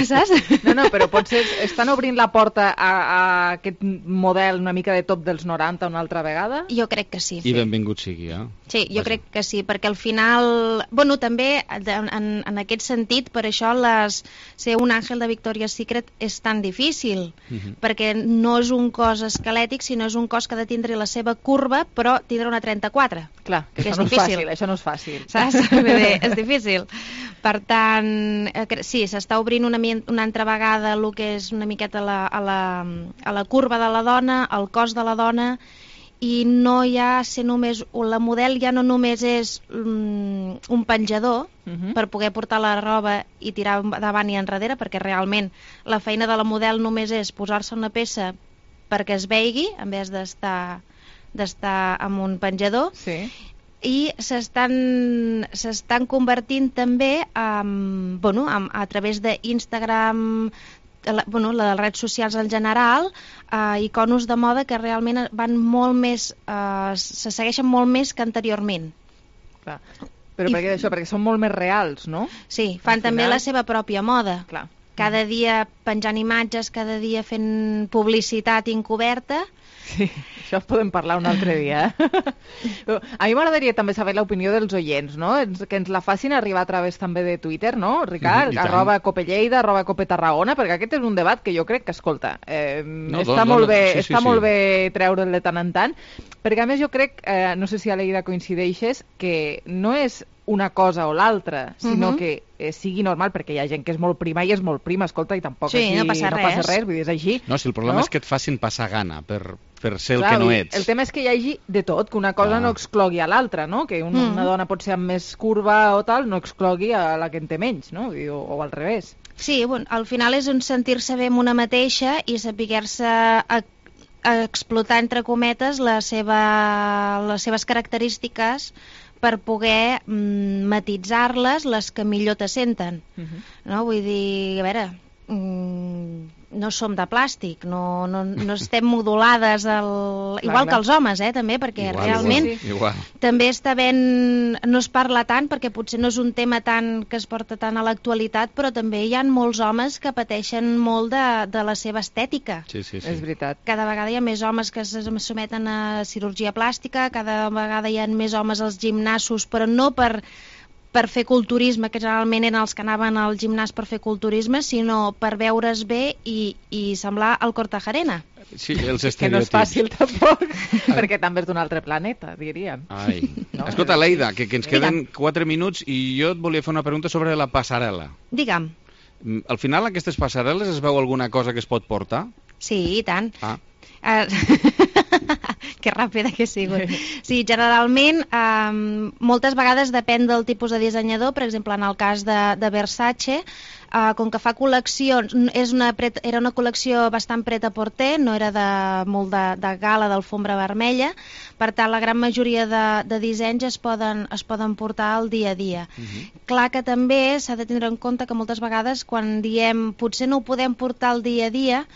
saps? No, però potser estan obrint la porta a aquest model una mica de top dels 90 una altra vegada? Jo crec que sí. I benvingut sigui, Sí, jo crec que sí, perquè al final... Bueno, també en aquest sentit, per això ser un àngel de Victoria's Secret és tan difícil, perquè no és un cos esquelètic, sinó és un cos que ha de tindre la seva curva, però tindre una 34. Clar, que és no difícil. Això no és fàcil. Saps? És difícil. Per tant, sí, s'està obrint una altra vegada el que és una miqueta a la curva de la dona, al cos de la dona, i no hi ha ser només... La model ja no només és un penjador per poder portar la roba i tirar davant i enrere, perquè realment la feina de la model només és posar-se una peça perquè es veigui, en vez d'estar amb un penjador. Sí. I s'estan convertint també a través d'Instagram, les redes socials en general, iconos de moda que realment van molt més, se segueixen molt més que anteriorment. Clar. Però per què això? Perquè són molt més reals, no? Sí, fan també la seva pròpia moda. Clar. Cada dia penjant imatges, cada dia fent publicitat encoberta. Sí, això podem parlar un altre dia. A mi m'agradaria també saber l'opinió dels oients, no? Que ens la facin arribar a través també de Twitter, no, Ricard? @Copelleida, @Copetarragona, perquè aquest és un debat que jo crec que, escolta, està molt bé treure'l de tant en tant, perquè a més jo crec, no sé si a l'Eida coincideixes, que no és una cosa o l'altra, sinó que sigui normal, perquè hi ha gent que és molt prima i és molt prima, escolta, i tampoc aquí no passa res, vull dir, és així. No, si el problema és que et facin passar gana per ser Clar, el que no ets. El tema és que hi hagi de tot, que una cosa no exclogui a l'altra, no? Que una dona pot ser amb més curva o tal, no exclogui a la que en té menys, no? O al revés. Sí, bueno, al final és un sentir-se bé amb una mateixa i saber-se explotar, entre cometes, les seves característiques per poder matitzar-les, les que millor te senten. No? Vull dir, a veure, no som de plàstic, no estem modulades igual que els homes, també, perquè realment també està ben... No es parla tant perquè potser no és un tema tant que es porta tant a l'actualitat, però també hi ha molts homes que pateixen molt de la seva estètica. Sí. És veritat. Cada vegada hi ha més homes que se someten a cirurgia plàstica, cada vegada hi ha més homes als gimnasos, però no per per fer culturisme, que generalment eren els que anaven al gimnàs per fer culturisme, sinó per veure's bé i semblar el Cortajarena. Sí, els estereotips. Que no és fàcil tampoc, perquè també és d'un altre planeta, diríem. Ai. No? Escolta, Leida, que ens queden 4 minuts i jo et volia fer una pregunta sobre la passarel·la. Digue'm. Al final, aquestes passarel·les es veu alguna cosa que es pot portar? Sí, i tant. Que ràpida que he sigut. Sí, generalment, moltes vegades depèn del tipus de dissenyador. Per exemple, en el cas de Versace, com que fa col·leccions, era una col·lecció bastant pret-a-porter, no era molt de gala, d'alfombra vermella, per tant la gran majoria de dissenys es poden portar al dia a dia. Clar que també s'ha de tindre en compte que moltes vegades quan diem potser no ho podem portar al dia a dia,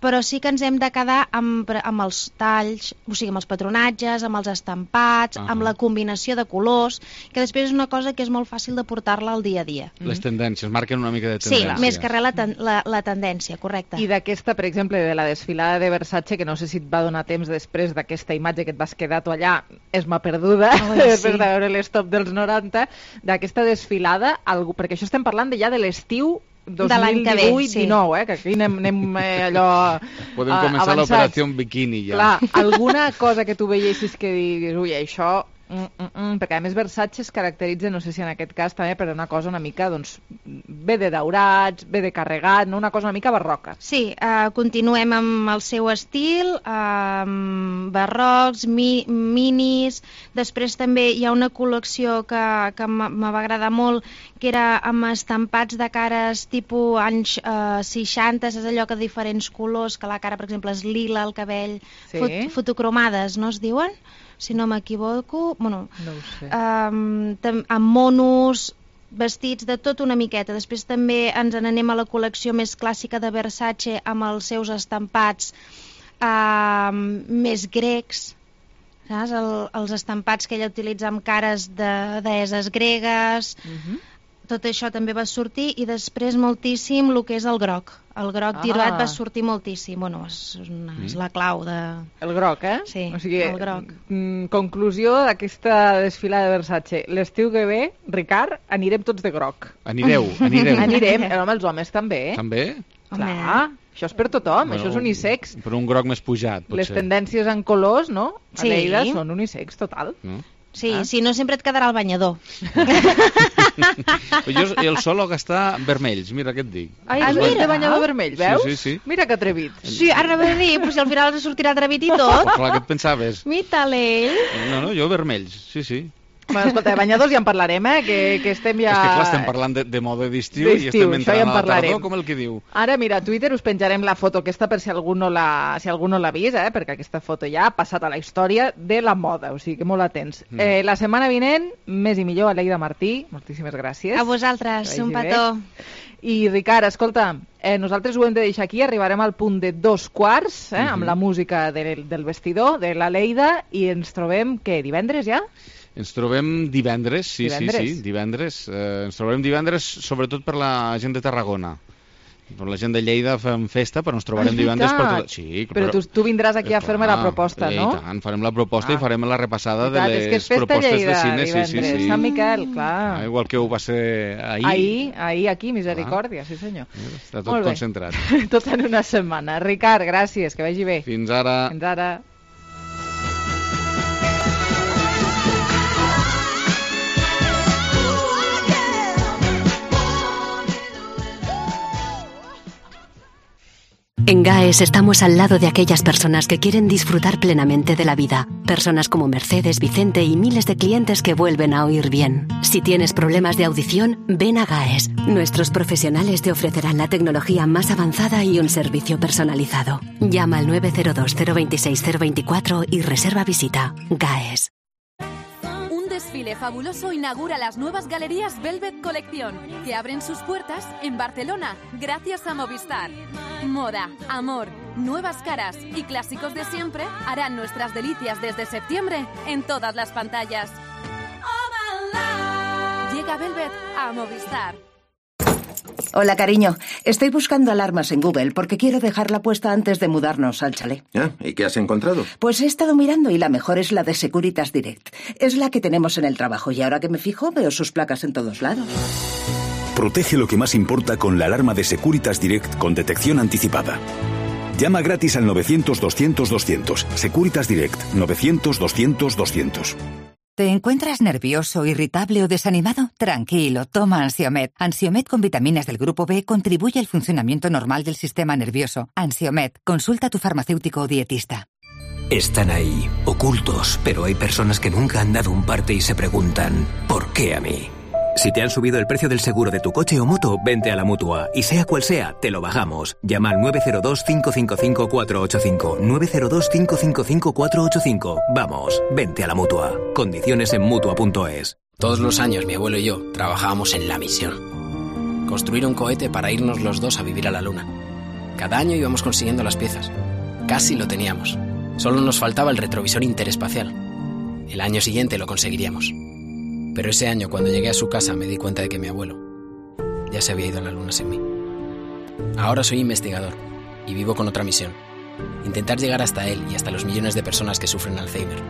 però sí que ens hem de quedar amb els talls, o sigui, amb els patronatges, amb els estampats, amb la combinació de colors, que després és una cosa que és molt fàcil de portar-la al dia a dia. Les tendències, marquen una mica de tendència. Sí, més que res la tendència, correcte. I d'aquesta, per exemple, de la desfilada de Versace, que no sé si et va donar temps després d'aquesta imatge que et vas quedar tu allà, és m'ha perduda, després de veure l'estop dels 90, d'aquesta desfilada, perquè això estem parlant ja de l'estiu 2018-19, que aquí anem allò podem començar l'operació bikini ja. Clar, alguna cosa que tu veiessis que diguis, ui, això perquè a més Versace es caracteritza, no sé si en aquest cas també, per una cosa una mica, doncs, bé de daurats, bé de carregat, no? Una cosa una mica barroca. Sí, continuem amb el seu estil, barrocs, minis, després també hi ha una col·lecció que me va agradar molt, que era amb estampats de cares tipus anys 60, és allò que de diferents colors, que la cara, per exemple, és lila, el cabell, fotocromades, no es diuen? Si no m'equivoco, bueno, no ho sé. Amb monos, vestits de tot una miqueta. Després també ens n'anem a la col·lecció més clàssica de Versace amb els seus estampats més grecs, saps? Els estampats que ella utilitza amb cares de deesses gregues. Tot això també va sortir, i després moltíssim el que és el groc. El groc tirat va sortir moltíssim. Bueno, és la clau de... El groc, Sí, o sigui, el groc. Conclusió d'aquesta desfilada de Versace. L'estiu que ve, Ricard, anirem tots de groc. Anirem. Home, els homes també. També? Clar, això és per tothom, això és unisex. Però un groc més pujat, potser. Les tendències en colors, no? A Lleida són unisex, total. Sí, si no sempre et quedarà el banyador. Jo el solo gastar vermells, mira què et dic. És de banyador vermell, veus? Sí. Mira que atrevit. Sí, ara va dir, però si al final ens sortirà atrevit i tot. Clar, què et pensaves? Mita-l'ell. No, jo vermells, sí. Bueno, escolta, de banyadors ja en parlarem, que estem ja... És que clar, estem parlant de mode d'estiu i estem entrant a la tardor, com el que diu. Ara, mira, a Twitter us penjarem la foto aquesta per si algú no l'ha vist, perquè aquesta foto ja ha passat a la història de la moda, o sigui que molt atents. La setmana vinent, més i millor, Aleida Martí, moltíssimes gràcies. A vosaltres, un petó. I Ricard, escolta, nosaltres ho hem de deixar aquí, arribarem al punt de 2:15, amb la música del vestidor, de l'Aleida, i ens trobem, què, divendres ja? Ens trobem divendres, sí, divendres. Ens trobem divendres sobretot per la gent de Tarragona. Per la gent de Lleida fem festa, però ens trobarem divendres per tot... Sí, però tu vindràs aquí a fer-me la proposta, no? I tant, farem la proposta i farem la repassada de les propostes de cine. Sí. Sant Miquel, clar. Igual que ho va ser ahir. Ahir aquí, Misericòrdia, sí senyor. Està tot concentrat. Tot en una setmana. Ricard, gràcies, que vagi bé. Fins ara. Fins ara. En GAES estamos al lado de aquellas personas que quieren disfrutar plenamente de la vida. Personas como Mercedes, Vicente y miles de clientes que vuelven a oír bien. Si tienes problemas de audición, ven a GAES. Nuestros profesionales te ofrecerán la tecnología más avanzada y un servicio personalizado. Llama al 902 026 024 y reserva visita. GAES. Desfile fabuloso inaugura las nuevas galerías Velvet Collection, que abren sus puertas en Barcelona gracias a Movistar. Moda, amor, nuevas caras y clásicos de siempre harán nuestras delicias desde septiembre en todas las pantallas. Llega Velvet a Movistar. Hola, cariño. Estoy buscando alarmas en Google porque quiero dejarla puesta antes de mudarnos al chalet. ¿Y qué has encontrado? Pues he estado mirando y la mejor es la de Securitas Direct. Es la que tenemos en el trabajo y ahora que me fijo veo sus placas en todos lados. Protege lo que más importa con la alarma de Securitas Direct con detección anticipada. Llama gratis al 900-200-200. Securitas Direct, 900-200-200. ¿Te encuentras nervioso, irritable o desanimado? Tranquilo, toma Ansiomed. Ansiomed con vitaminas del grupo B contribuye al funcionamiento normal del sistema nervioso. Ansiomed, consulta a tu farmacéutico o dietista. Están ahí, ocultos, pero hay personas que nunca han dado un parte y se preguntan, ¿por qué a mí? Si te han subido el precio del seguro de tu coche o moto, vente a la Mutua. Y sea cual sea, te lo bajamos. Llama al 902-555-485. 902-555-485. Vamos, vente a la Mutua. Condiciones en Mutua.es. Todos los años mi abuelo y yo trabajábamos en la misión. Construir un cohete para irnos los dos a vivir a la Luna. Cada año íbamos consiguiendo las piezas. Casi lo teníamos. Solo nos faltaba el retrovisor interespacial. El año siguiente lo conseguiríamos. Pero ese año, cuando llegué a su casa, me di cuenta de que mi abuelo ya se había ido a la Luna sin mí. Ahora soy investigador y vivo con otra misión. Intentar llegar hasta él y hasta los millones de personas que sufren Alzheimer.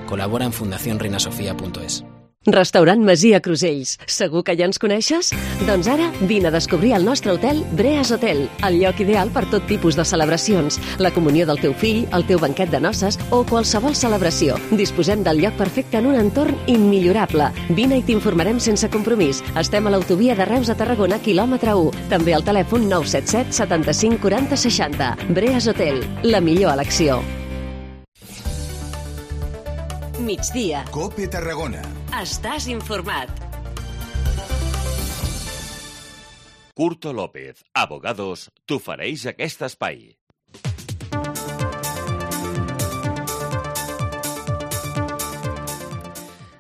Colabora en fundacionreinasofia.es. Restaurant Masia Crusells. Segur que ja ens coneixes? Doncs ara vine a descobrir el nostre hotel Breas Hotel, el lloc ideal per tot tipus de celebracions, la comunió del teu fill, el teu banquet de noces o qualsevol celebració. Disposem del lloc perfecte en un entorn immillorable. Vine i t'informarem sense compromís. Estem a l'autovia de Reus a Tarragona, quilòmetre 1. També al telèfon 977 75 40 60. Breas Hotel, la millor elecció. Migdia. COPE Tarragona. Estàs informat. Curto López, Abogados, t'ofereix aquest espai.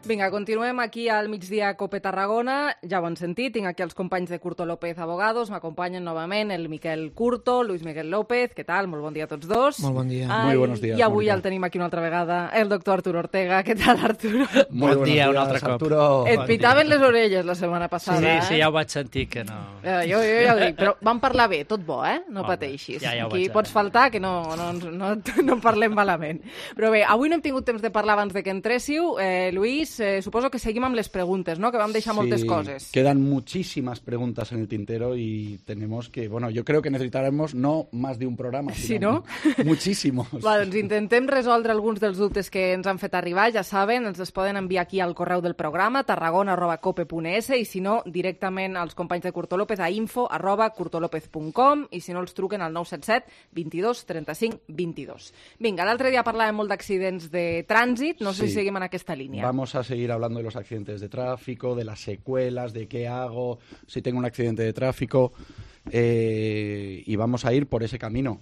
Vinga, continuem aquí al migdia Cope Tarragona. Ja ho han sentit, tinc aquí els companys de Curto López Abogados. M'acompanyen novament el Miquel Curto, Luis Miguel López. Què tal? Molt bon dia a tots dos. Molt bon dia. Muy buenos días. I avui el tenim aquí una altra vegada, el doctor Arturo Ortega. Què tal, Arturo? Bon dia, un altre cop. Arturo. Et pitaven les orelles la setmana passada, Sí, ja ho vaig sentir, que no... Jo ja ho dic, però vam parlar bé, tot bo, No pateixis. Ja ho aquí vaig pots faltar, que no parlem malament. Però bé, avui no hem tingut temps de parlar abans de que entréssiu. Luis, suposo que seguim amb les preguntes, ¿no? Que vam deixar moltes coses. Quedan muchísimas preguntas en el tintero y tenemos que, bueno, yo creo que necesitaremos no más de un programa, sino muchísimos. Va, doncs intentem resoldre alguns dels dubtes que ens han fet arribar. Ja saben, ens els poden enviar aquí al correu del programa, tarragona@cope.es, i si no, directament als companys de Curto López a info@curtolopez.com, i si no, els truquen al 977 22 35 22. Vinga, l'altre dia parlàvem molt d'accidents de trànsit, no sé si seguim en aquesta línia. Vamos a seguir hablando de los accidentes de tráfico, de las secuelas, de qué hago si tengo un accidente de tráfico, y vamos a ir por ese camino.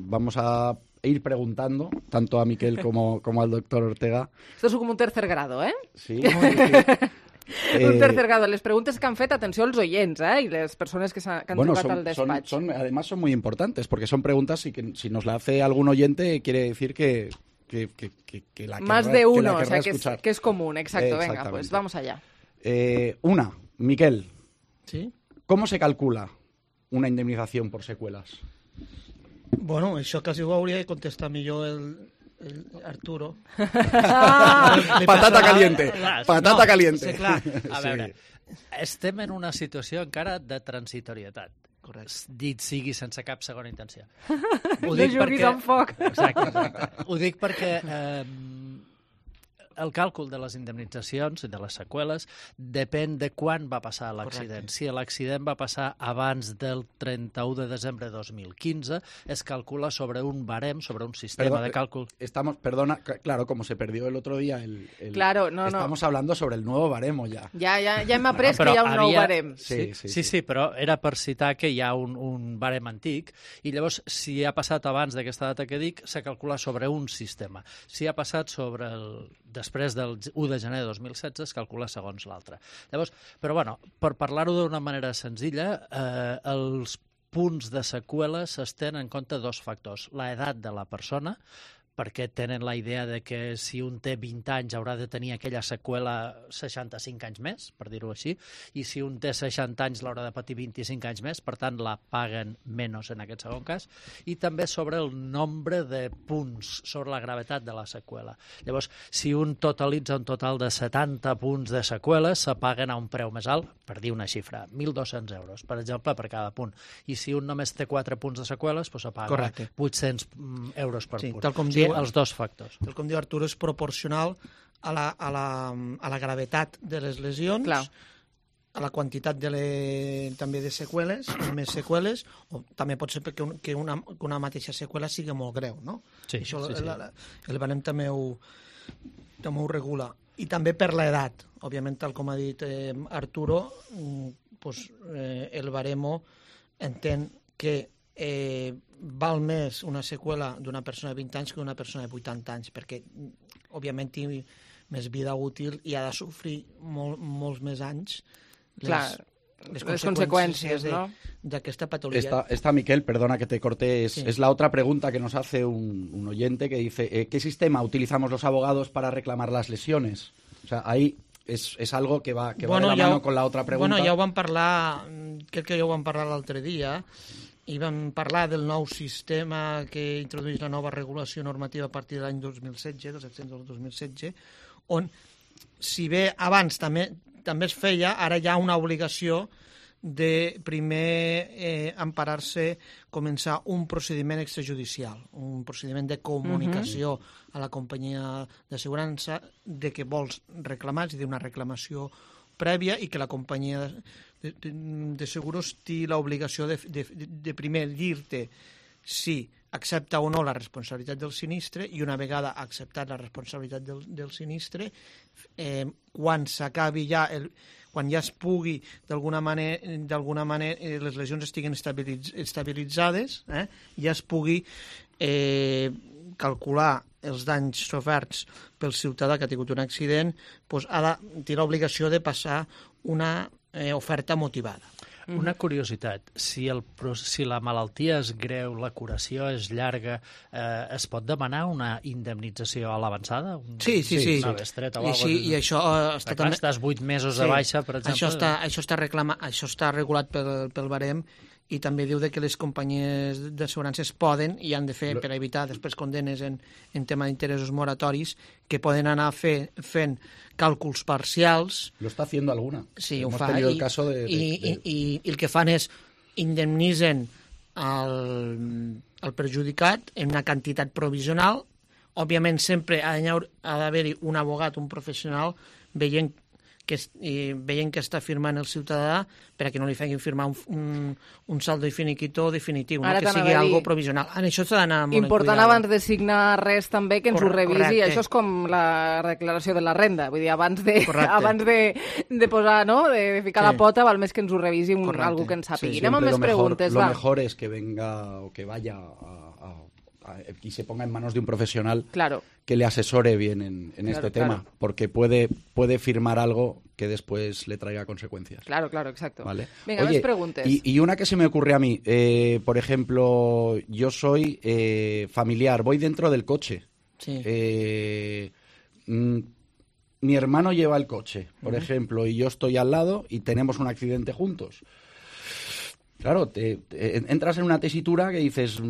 Vamos a ir preguntando, tanto a Miquel como al doctor Ortega. Esto es como un tercer grado, ¿eh? Sí. Un tercer grado. Les preguntes que han fet, atenció als oients, y les persones que han trucat al despatx. Además son muy importantes, porque son preguntas y que si nos la hace algún oyente quiere decir que la más querrá, de uno, que la o sea, escuchar. que es común, exacto. Venga, pues vamos allá. Una, Miquel. Sí? ¿Cómo se calcula una indemnización por secuelas? Bueno, això quasi ho hauria de contestar millor el Arturo. Patata caliente. Patata caliente. Sí, clar. A veure, estem en una situació encara de transitorietat. Dit sigui sense cap segona intenció. No juguis amb foc. Exacte. Ho dic perquè el càlcul de les indemnitzacions i de les seqüeles depèn de quan va passar l'accident. Si l'accident va passar abans del 31 de desembre de 2015, es calcula sobre un barem, sobre un sistema de càlcul. Perdona, claro, como se perdió el otro día Claro, estamos hablando sobre el nuevo baremo ja. Ja hem après que hi ha un nou barem. Sí, però era per citar que hi ha un barem antic i llavors, si ha passat abans d'aquesta data que dic, se calcula sobre un sistema. Si ha passat després del 1 de gener de 2016 es calcula segons l'altre. Llavors, però bueno, per parlar-ho d'una manera senzilla, els punts de seqüeles es tenen en compte dos factors. L'edat de la persona, perquè tenen la idea de que si un té 20 anys haurà de tenir aquella seqüela 65 anys més, per dir-ho així, i si un té 60 anys l'haurà de patir 25 anys més, per tant la paguen menys en aquest segon cas, i també sobre el nombre de punts, sobre la gravetat de la seqüela. Llavors, si un totalitza un total de 70 punts de seqüeles, se paguen a un preu més alt, per dir una xifra, 1.200 euros, per exemple, per cada punt. I si un només té 4 punts de seqüeles, doncs se paga 800 euros per punt. Tal com diu, els dos factors. Tal com diu Artur, és proporcional a la gravetat de les lesions, a la quantitat també de seqüeles, més seqüeles, o també pot ser que una mateixa seqüela sigui molt greu, no? Sí, això sí. El barem també ho regula. I també per l'edat. Òbviament, tal com ha dit Arturo, el baremo entén que val més una seqüela d'una persona de 20 anys que d'una persona de 80 anys, perquè, òbviament, té més vida útil i ha de sofrir molts més anys les consecuencias d'aquesta patología. Esta Miquel, perdona que te corte, es la otra pregunta que nos hace un oyente que dice, ¿qué sistema utilizamos los abogados para reclamar las lesiones? O sea, ahí es algo que va de la mano con la otra pregunta. Bueno, ja ho vam parlar, crec que ja ho vam parlar l'altre dia, i vam parlar del nou sistema que introdueix la nova regulació normativa a partir de l'any 2016, dels accidents del 2016, on, si bé abans també es feia, ara hi ha una obligació de primer emparar-se, començar un procediment extrajudicial, un procediment de comunicació a la companyia d'assegurança de que vols reclamar, és a dir, una reclamació prèvia, i que la companyia de seguros té l'obligació de primer dir-te si accepta o no la responsabilitat del sinistre, i una vegada acceptat la responsabilitat del sinistre, quan s'acabi ja quan ja es pugui d'alguna manera les lesions estiguin estabilitzades, ja es pugui calcular els danys soferts pel ciutadà que ha tingut un accident, doncs té l'obligació de passar una oferta motivada. Una curiositat, si la malaltia és greu, la curació és llarga, es pot demanar una indemnització a l'avançada? Sí. Una bestreta o alguna cosa? I això està també... Estàs 8 mesos de baixa, per exemple? Això està regulat pel barem, i també diu que les companyies d'assegurances poden i han de fer, per evitar després condenes en tema d'interessos moratoris, que poden anar fent càlculs parcials. Lo está haciendo alguna. Sí, ho fa. I el que fan és indemnitzen el perjudicat en una quantitat provisional. Òbviament sempre ha d'haver-hi un abogat, un professional, veient que està firmant el ciutadà, perquè no li facin firmar un saldo i finiquito definitiu, que sigui algo provisional. En això s'ha d'anar molt important abans de signar res també que ens ho revisi. Això és com la declaració de la renda, vull dir, abans de posar, no?, de ficar la pota, val més que ens ho revisi algú que ens sàpigui. Anem amb més preguntes, va. Lo mejor es que venga o que vaya y se ponga en manos de un profesional que le asesore bien en este tema, porque puede firmar algo que después le traiga consecuencias. Claro, exacto. ¿Vale? Venga, más preguntas. Y una que se me ocurre a mí, por ejemplo, yo soy familiar, voy dentro del coche. Sí. Mi hermano lleva el coche, por ejemplo, y yo estoy al lado y tenemos un accidente juntos. Claro, entras en una tesitura que dices, soy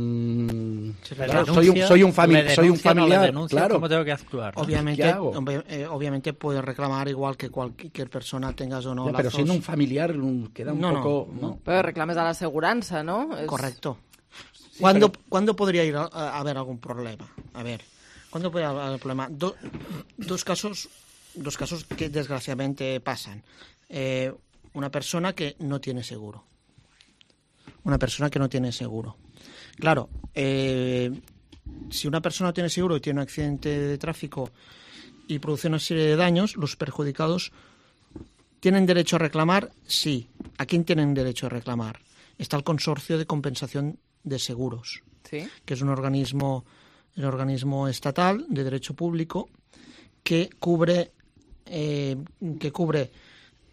un familiar, claro. ¿Cómo tengo que actuar? Obviamente puedes reclamar igual que cualquier persona, tengas o no lazos. Pero siendo un familiar queda un poco... No. Pero reclames a la aseguranza, ¿no? Correcto. Sí, ¿Cuándo podría ir a haber algún problema? A ver, ¿cuándo podría haber problema? Dos casos que desgraciadamente pasan. Una persona que no tiene seguro. Claro, si una persona no tiene seguro y tiene un accidente de tráfico y produce una serie de daños, los perjudicados ¿tienen derecho a reclamar? Sí. ¿A quién tienen derecho a reclamar? Está el Consorcio de Compensación de Seguros, ¿sí?, que es un organismo estatal de derecho público que cubre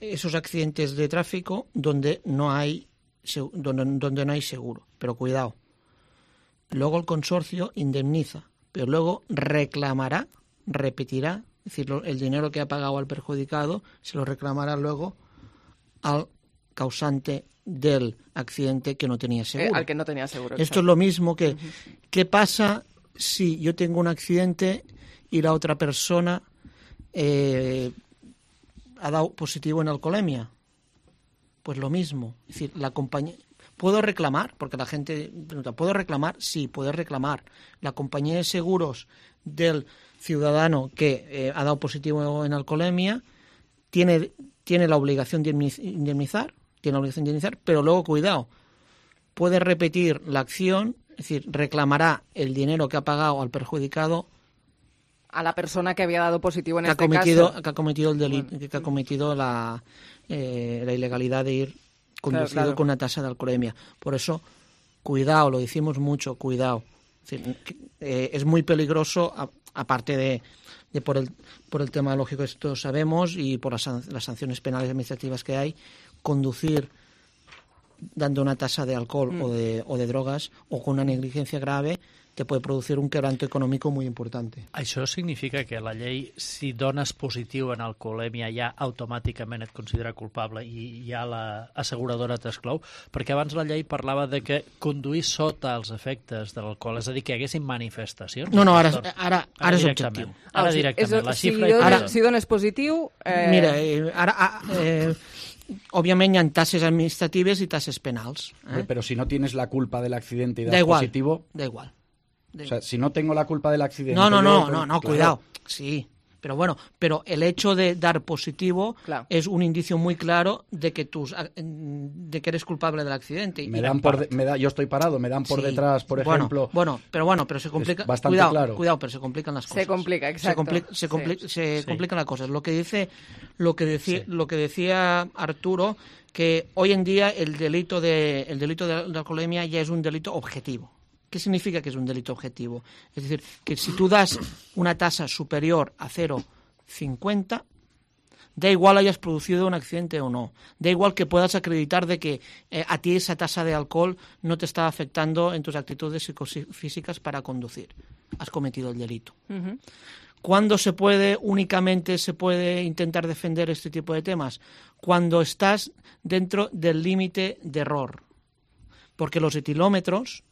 esos accidentes de tráfico donde no hay seguro. Pero cuidado, luego el consorcio indemniza pero luego reclamará, repetirá, es decir, el dinero que ha pagado al perjudicado se lo reclamará luego al causante del accidente que no tenía seguro. Al que no tenía seguro. Esto es lo mismo que, ¿qué pasa si yo tengo un accidente y la otra persona ha dado positivo en alcoholemia? Pues lo mismo. Es decir, la compañía... ¿Puedo reclamar? Porque la gente pregunta, ¿puedo reclamar? Sí, puedes reclamar. La compañía de seguros del ciudadano que ha dado positivo en alcoholemia tiene la obligación de indemnizar, pero luego, cuidado, puede repetir la acción, es decir, reclamará el dinero que ha pagado al perjudicado a la persona que había dado positivo en este caso. Que ha cometido el delito, que ha cometido la ilegalidad de ir conducido con una tasa de alcoholemia. Por eso, cuidado, lo decimos mucho, cuidado. Es decir, es muy peligroso, aparte de por el tema lógico, esto sabemos, y por las sanciones penales y administrativas que hay, conducir dando una tasa de alcohol o de drogas o con una negligencia grave te puede producir un quebranto econòmic molt important. Això significa que la llei, si dones positiu en alcoholèmia, ja automàticament et considera culpable i ja l'asseguradora t'exclou? Perquè abans la llei parlava de que conduir sota els efectes de l'alcohol, és a dir, que hi haguessin manifestacions. No, ara és objectiu. Ara directament, la xifra... Si dones positiu... Mira, ara... Obviamente hay tasas administrativas y tasas penales. Pero si no tienes la culpa del accidente y das positivo... Da igual. O sea, si no tengo la culpa del accidente... No, cuidado. Sí, pero el hecho de dar positivo es un indicio muy claro de que eres culpable del accidente. Yo estoy parado, me dan por detrás, por ejemplo... Pero se complica... Bastante claro. Cuidado, pero se complican las cosas. Se complica, exacto. Se complican las cosas. Lo que decía Arturo, que hoy en día el delito de alcoholemia ya es un delito objetivo. ¿Qué significa que es un delito objetivo? Es decir, que si tú das una tasa superior a 0,50, da igual hayas producido un accidente o no. Da igual que puedas acreditar de que a ti esa tasa de alcohol no te está afectando en tus actitudes psicofísicas para conducir. Has cometido el delito. ¿Cuándo únicamente se puede intentar defender este tipo de temas? Cuando estás dentro del límite de error. Porque los etilómetros...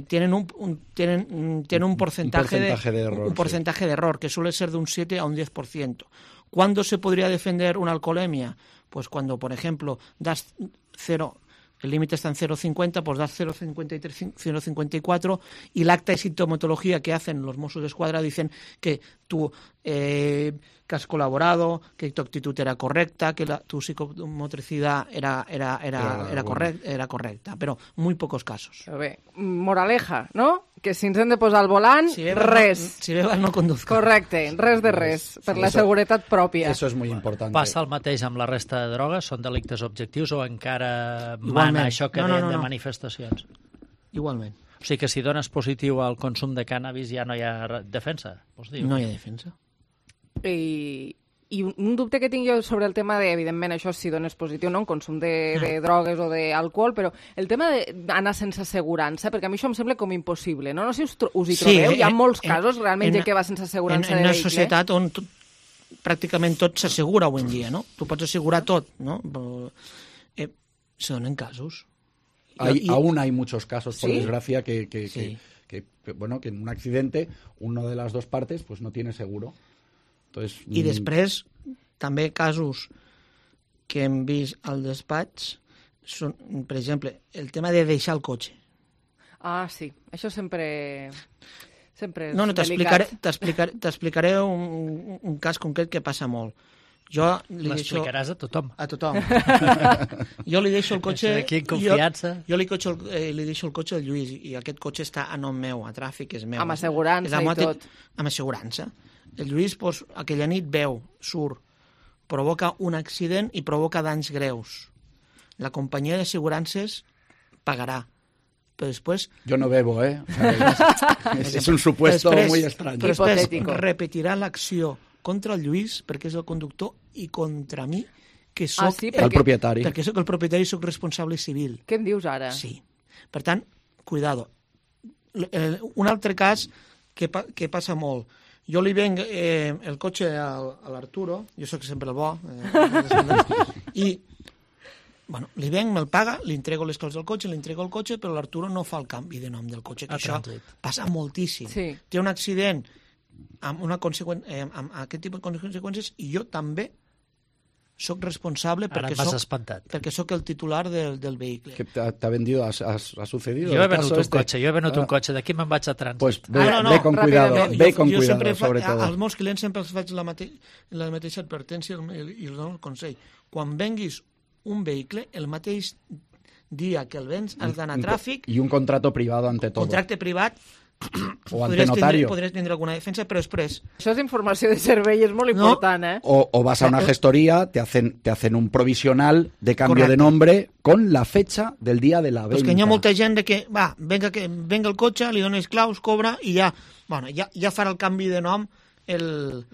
tienen un porcentaje de error que suele ser de un 7 a un 10%. ¿Cuándo se podría defender una alcoholemia? Pues cuando, por ejemplo, das 0, el límite está en 0,50, pues das 0,53, 0,54 y el acta de sintomatología que hacen los Mossos d'Esquadra dicen que tú que has colaborado, que tu actitud era correcta, que tu psicomotricidad era correcta, però muy pocos casos. Però bé, moraleja, no? Que si ens hem de posar al volant, res. Si bebes no conduzca. Correcte, res de res, per la seguretat pròpia. Eso es muy importante. Passa el mateix amb la resta de drogues? Són delictes objectius o encara mana això que dèiem de manifestacions? Igualment. O sigui que si dones positiu al consum de cànnabis ja no hi ha defensa, vols dir? No hi ha defensa. I un dubte que tinc jo sobre el tema de, evidentment, això si dones positiu, no?, un consum de drogues o d'alcohol, però el tema d'anar sense assegurança, perquè a mi això em sembla com impossible, no? No sé si us hi trobeu, hi ha molts casos realment gent que va sense assegurança de vehicle. En una societat on pràcticament tot s'assegura avui en dia, no? Tu pots assegurar tot, no? Se donen casos. Aún hay muchos casos, por desgracia, que en un accidente uno de las dos partes pues no tiene seguro. Entonces, I després, també casos que hem vist al despatx són, per exemple, el tema de deixar el cotxe. Ah, sí. Això sempre és delicat. T'explicaré un cas concret que passa molt. L'explicaràs a tothom. A tothom. Jo li deixo el cotxe... Aquí en confiança. Jo li deixo el cotxe al Lluís i aquest cotxe està a nom meu, a tràfic, és meu. Amb assegurança i tot. Amb assegurança. El Lluís, aquella nit veu, surt, provoca un accident i provoca danys greus. La companyia d'assegurances pagarà. Pero después... Yo no bebo, ¿eh? Es un supuesto muy extraño. Però després repetirà l'acció contra el Lluís, perquè és el conductor, i contra mi, que soc el propietari. Perquè soc el propietari i soc responsable civil. Què em dius ara? Sí. Per tant, cuidado. Un altre cas què passa molt? Jo li venc el cotxe a l'Arturo, jo sóc sempre el bo, i bueno, li venc, me'l paga, li entrego les claus del cotxe, li entrego el cotxe, però l'Arturo no fa el canvi de nom del cotxe, que això passa moltíssim. Sí. Té un accident amb aquest tipus de conseqüències i jo també soc responsable perquè soc el titular del vehicle. ¿Qué te ha vendido? ¿Ha sucedido? Yo he venut un cotxe, d'aquí me'n vaig a trànsit. Pues ve con cuidado, sobre todo. Als meus clients sempre els faig la mateixa advertència i els dono el consell. Quan venguis un vehicle, el mateix dia que el vens has d'anar a tràfic... I un contrato privado ante todo. Contracte privat... O ante notario. Podries tindre alguna defensa, però després... Això és informació de servei, és molt important, ¿eh? O vas a una gestoría, te hacen un provisional de cambio de nombre con la fecha del día de la venta. Pues que hi ha molta gent que, venga el cotxe, li dones claus, cobra, i ja farà el canvi de nom el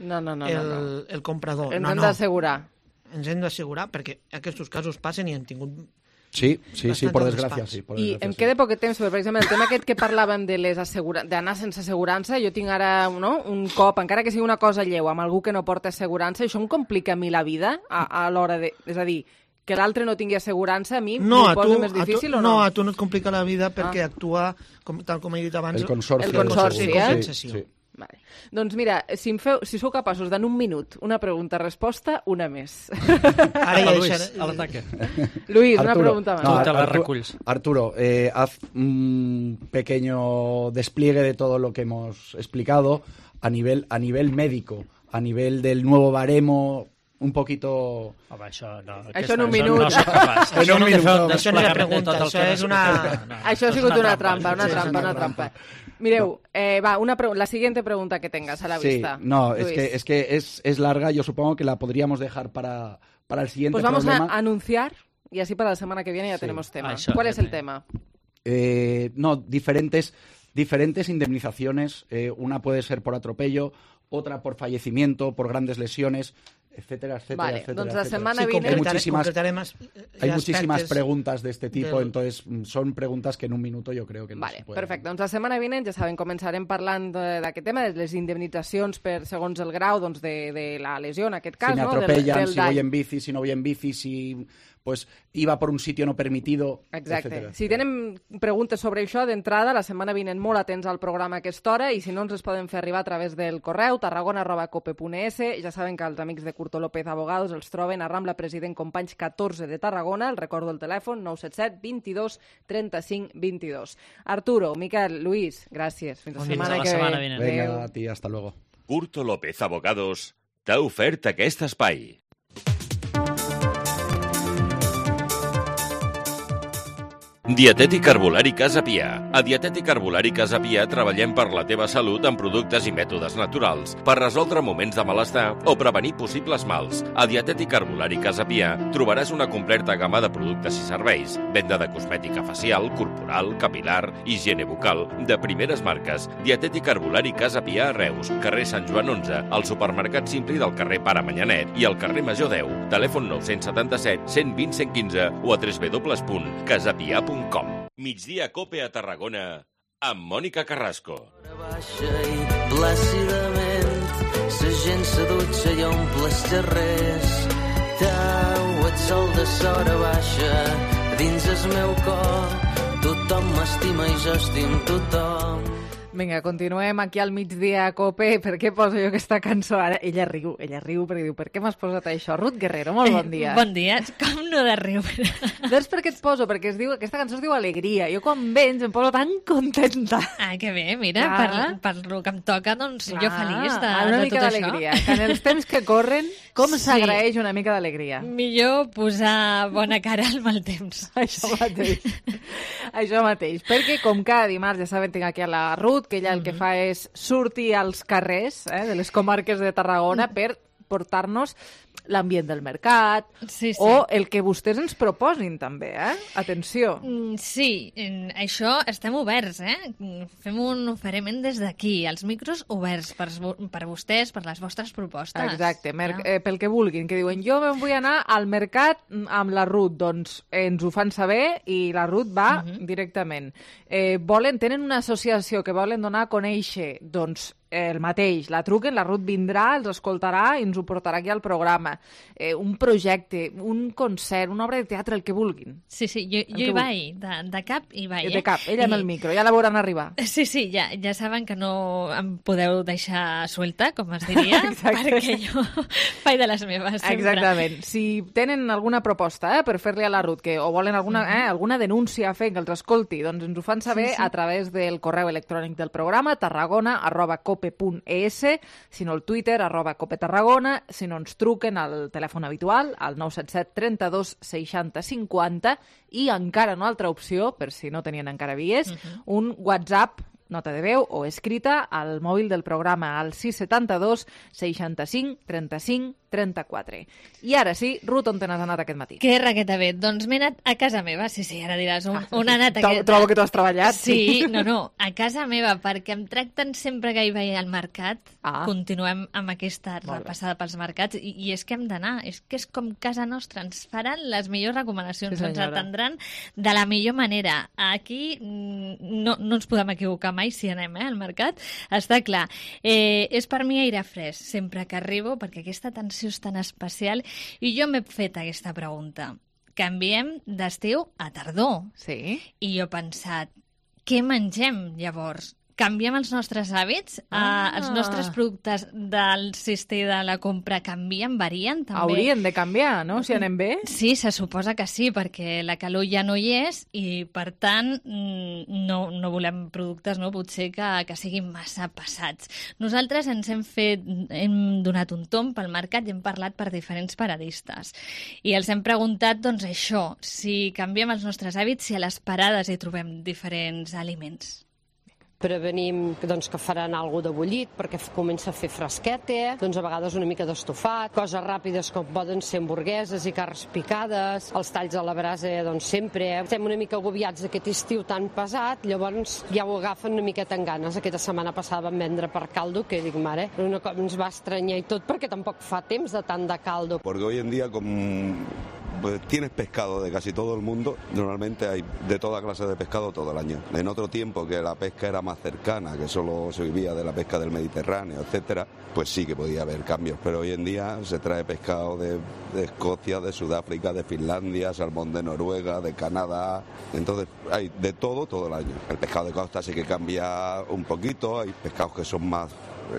comprador. Ens hem d'assegurar. Ens hem d'assegurar, perquè aquests casos passen i hem tingut... Sí, por desgràcia, sí. I em queda poc temps, per exemple, el tema aquest que parlàvem d'anar sense assegurança, jo tinc ara un cop, encara que sigui una cosa lleu, amb algú que no porta assegurança, això em complica a mi la vida a l'hora de... És a dir, que l'altre no tingui assegurança, a mi m'ho posa més difícil o no? No, a tu no et complica la vida perquè actua, tal com he dit abans... El consorci. Sí. Vale. Doncs mira, si sou capaços d'en un minut una pregunta-resposta, una més. Ara ja Luis, a l'ataque. Luis, una pregunta más. No, te la reculls. Arturo, haz un pequeño despliegue de todo lo que hemos explicado a nivel médico, a nivel del nuevo baremo, un poquito... Això en un minut. No soc capaç. Això no és una pregunta, això és una... Això ha sigut una trampa. Mireu, la siguiente pregunta que tengas a la vista. Sí, no, es que es larga, yo supongo que la podríamos dejar para el siguiente problema. Pues vamos a anunciar y así para la semana que viene ya tenemos tema. ¿Cuál es el tema? Diferentes indemnizaciones, una puede ser por atropello, otra por fallecimiento, por grandes lesiones, etcétera. Doncs la setmana vinent... Hay muchísimas preguntas de este tipo, entonces son preguntas que en un minuto yo creo que no se pueden... Perfecte, doncs la setmana vinent, ja saben, començarem parlant d'aquest tema, de les indemnitzacions segons el grau de la lesió, en aquest cas, si me atropellan, si voy en bici, si no voy en bici, si pues iba por un sitio no permitido, exacte. Etcétera. Si tenen preguntes sobre això, d'entrada, la setmana vinent molt atents al programa a aquesta hora, i si no ens les poden fer arribar a través del correu tarragona@cope.es. Ja saben que els amics de Curto López Abogados els troben a Rambla President Companys 14 de Tarragona. El recordo el telèfon 977 22 35 22. Arturo, Miquel, Luis, gràcies. Fins la setmana que ve. Venga, a ti, hasta luego. Curto López Abogados t'ha ofert aquest espai. Dietètic Herbolari Casa Pia. A Dietètic Herbolari Casa Pia treballem per la teva salut amb productes i mètodes naturals, per resoldre moments de malestar o prevenir possibles mals. A Dietètic Herbolari Casa Pia trobaràs una completa gamma de productes i serveis, venda de cosmètica facial, corporal, capilar, higiene bucal, de primeres marques. Dietètic Herbolari Casa Pia a Reus, carrer Sant Joan 11, al supermercat Simpli del carrer Pare Manyanet i al carrer Major 10. Telèfon 977 120 115 o a www.casapia.com. Migdia Cope a Tarragona amb Mònica Carrasco. Baixa i plàcidament sa gent s'adutxa i omple els carrers. Tau, et sol de sora baixa dins el meu cor. Tothom m'estima i jo estim tothom. Vinga, continuem aquí al Migdia a Cope. Per què poso jo aquesta cançó ara? Ella riu perquè diu, per què m'has posat això? Ruth Guerrero, molt bon dia. Bon dia, com no de riure? Doncs per què et poso? Perquè aquesta cançó es diu Alegria. Jo quan vens em poso tan contenta. Ah, que bé, mira, per el que em toca, doncs jo feliç de tot això. Una mica d'alegria. Que en els temps que corren, com s'agraeix una mica d'alegria? Millor posar bona cara al mal temps. Això mateix. Això mateix. Perquè com cada dimarts, ja saben, tinc aquí a la Ruth, que ella el que fa és sortir als carrers de les comarques de Tarragona per portar-nos l'ambient del mercat, o el que vostès ens proposin també, Atenció. Sí, això estem oberts, Fem un oferiment des d'aquí, els micros oberts per vostès, per les vostres propostes. Exacte, pel que vulguin, que diuen jo me'n vull anar al mercat amb la Ruth, doncs ens ho fan saber i la Ruth va directament. Tenen una associació que volen donar a conèixer, doncs el mateix, la truquen, la Ruth vindrà, els escoltarà i ens ho portarà aquí al programa. Un projecte, un concert, una obra de teatre, el que vulguin. Sí, jo hi vaig, de cap hi vaig. De cap, ella amb el micro, ja la veuran arribar. Sí, ja saben que no em podeu deixar suelta, com es diria, perquè jo faig de les meves sempre. Exactament. Si tenen alguna proposta per fer-li a la Ruth, o volen alguna denúncia a fer que els escolti, doncs ens ho fan saber a través del correu electrònic del programa, tarragona@cope.es, si no el Twitter, @copetarragona, si no ens truquen al telèfon habitual, al 977 32 60 50, i encara una altra opció, per si no tenien encara vies, un WhatsApp, nota de veu o escrita, al mòbil del programa, al 672 65 35 34. I ara sí, Ruth, on te n'has anat aquest matí? Que raqueta bé. Doncs m'he anat a casa meva. Sí, ara diràs, on ha anat aquest... Trobo que tu has treballat. Sí, no, a casa meva, perquè em tracten sempre que hi vaig al mercat. Continuem amb aquesta repassada pels mercats, i és que hem d'anar, és que és com casa nostra, ens faran les millors recomanacions, ens atendran de la millor manera. Aquí no ens podem equivocar mai si anem al mercat, està clar. És per mi aire fresc, sempre que arribo, perquè aquesta atenció és tan especial, i jo m'he fet aquesta pregunta. Canviem d'estiu a tardor. Sí. I jo he pensat, què mengem llavors? Canviem els nostres hàbits? Els nostres productes del cistell de la compra canvien, varien també? Haurien de canviar, no?, si anem bé. Sí, se suposa que sí, perquè la calor ja no hi és i, per tant, no volem productes, no, potser que siguin massa passats. Nosaltres hem donat un tomb pel mercat i hem parlat per diferents paradistes. I els hem preguntat, doncs, això, si canviem els nostres hàbits, si a les parades hi trobem diferents aliments. Prevenim que faran alguna de bullit perquè comença a fer fresqueta, doncs a vegades una mica d'estofat, coses ràpides com poden ser hamburgueses i carns picades, els talls a la brasa, doncs sempre. Estem una mica agobiats d'aquest estiu tan pesat, llavors ja ho agafen una miqueta en ganes. Aquesta setmana passada vam vendre per caldo, que dic, mare, una cosa ens va estranyar i tot, perquè tampoc fa temps de tant de caldo. Porque hoy en día, pues tienes pescado de casi todo el mundo, normalmente hay de toda clase de pescado todo el año. En otro tiempo que la pesca era más cercana, que solo se vivía de la pesca del Mediterráneo, etcétera, pues sí que podía haber cambios, pero hoy en día se trae pescado de Escocia, de Sudáfrica, de Finlandia, salmón de Noruega, de Canadá, entonces hay de todo el año. El pescado de costa sí que cambia un poquito, hay pescados que son más,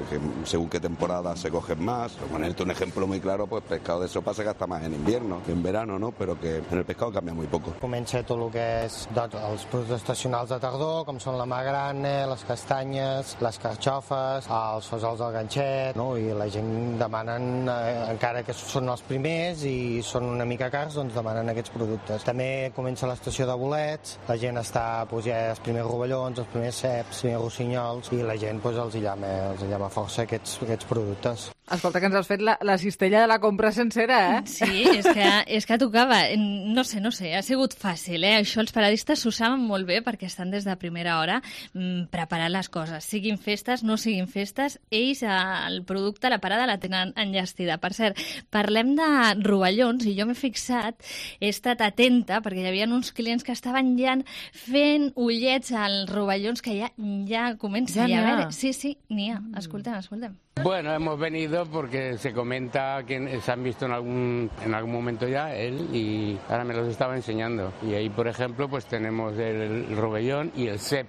que según qué temporada se cogen más. Por ponerte un ejemplo muy claro, pues pescado de sopa se gasta más en invierno que en verano, ¿no? Però que en el pescado canvia muy poco. Comença tot el que és els productes estacionals de tardor, com són la magrana, les castanyes, les carxofes, els fesols del ganxet, no? I la gent demanen, encara que són els primers i són una mica cars, doncs demanen aquests productes. També comença l'estació de bolets, la gent està, doncs ja els primers rovellons, els primers ceps, els primers rossinyols, i la gent doncs els llama força aquests productes. Escolta, que ens has fet la cistella de la compra sencera, eh? Sí, és que tocava. No sé, ha sigut fàcil, eh? Això els paradistes s'ho saben molt bé perquè estan des de primera hora preparant les coses. Siguin festes, no siguin festes, ells el producte, la parada la tenen enllestida. Per cert, parlem de rovellons i jo m'he fixat, he estat atenta perquè hi havia uns clients que estaven ja fent ullets als rovellons que ja comença a haver. Sí, n'hi ha. Escoltem. Bueno, hemos venido porque se comenta que se han visto en algún momento ya él y ahora me los estaba enseñando. Y ahí, por ejemplo, pues tenemos el rovellón y el cep.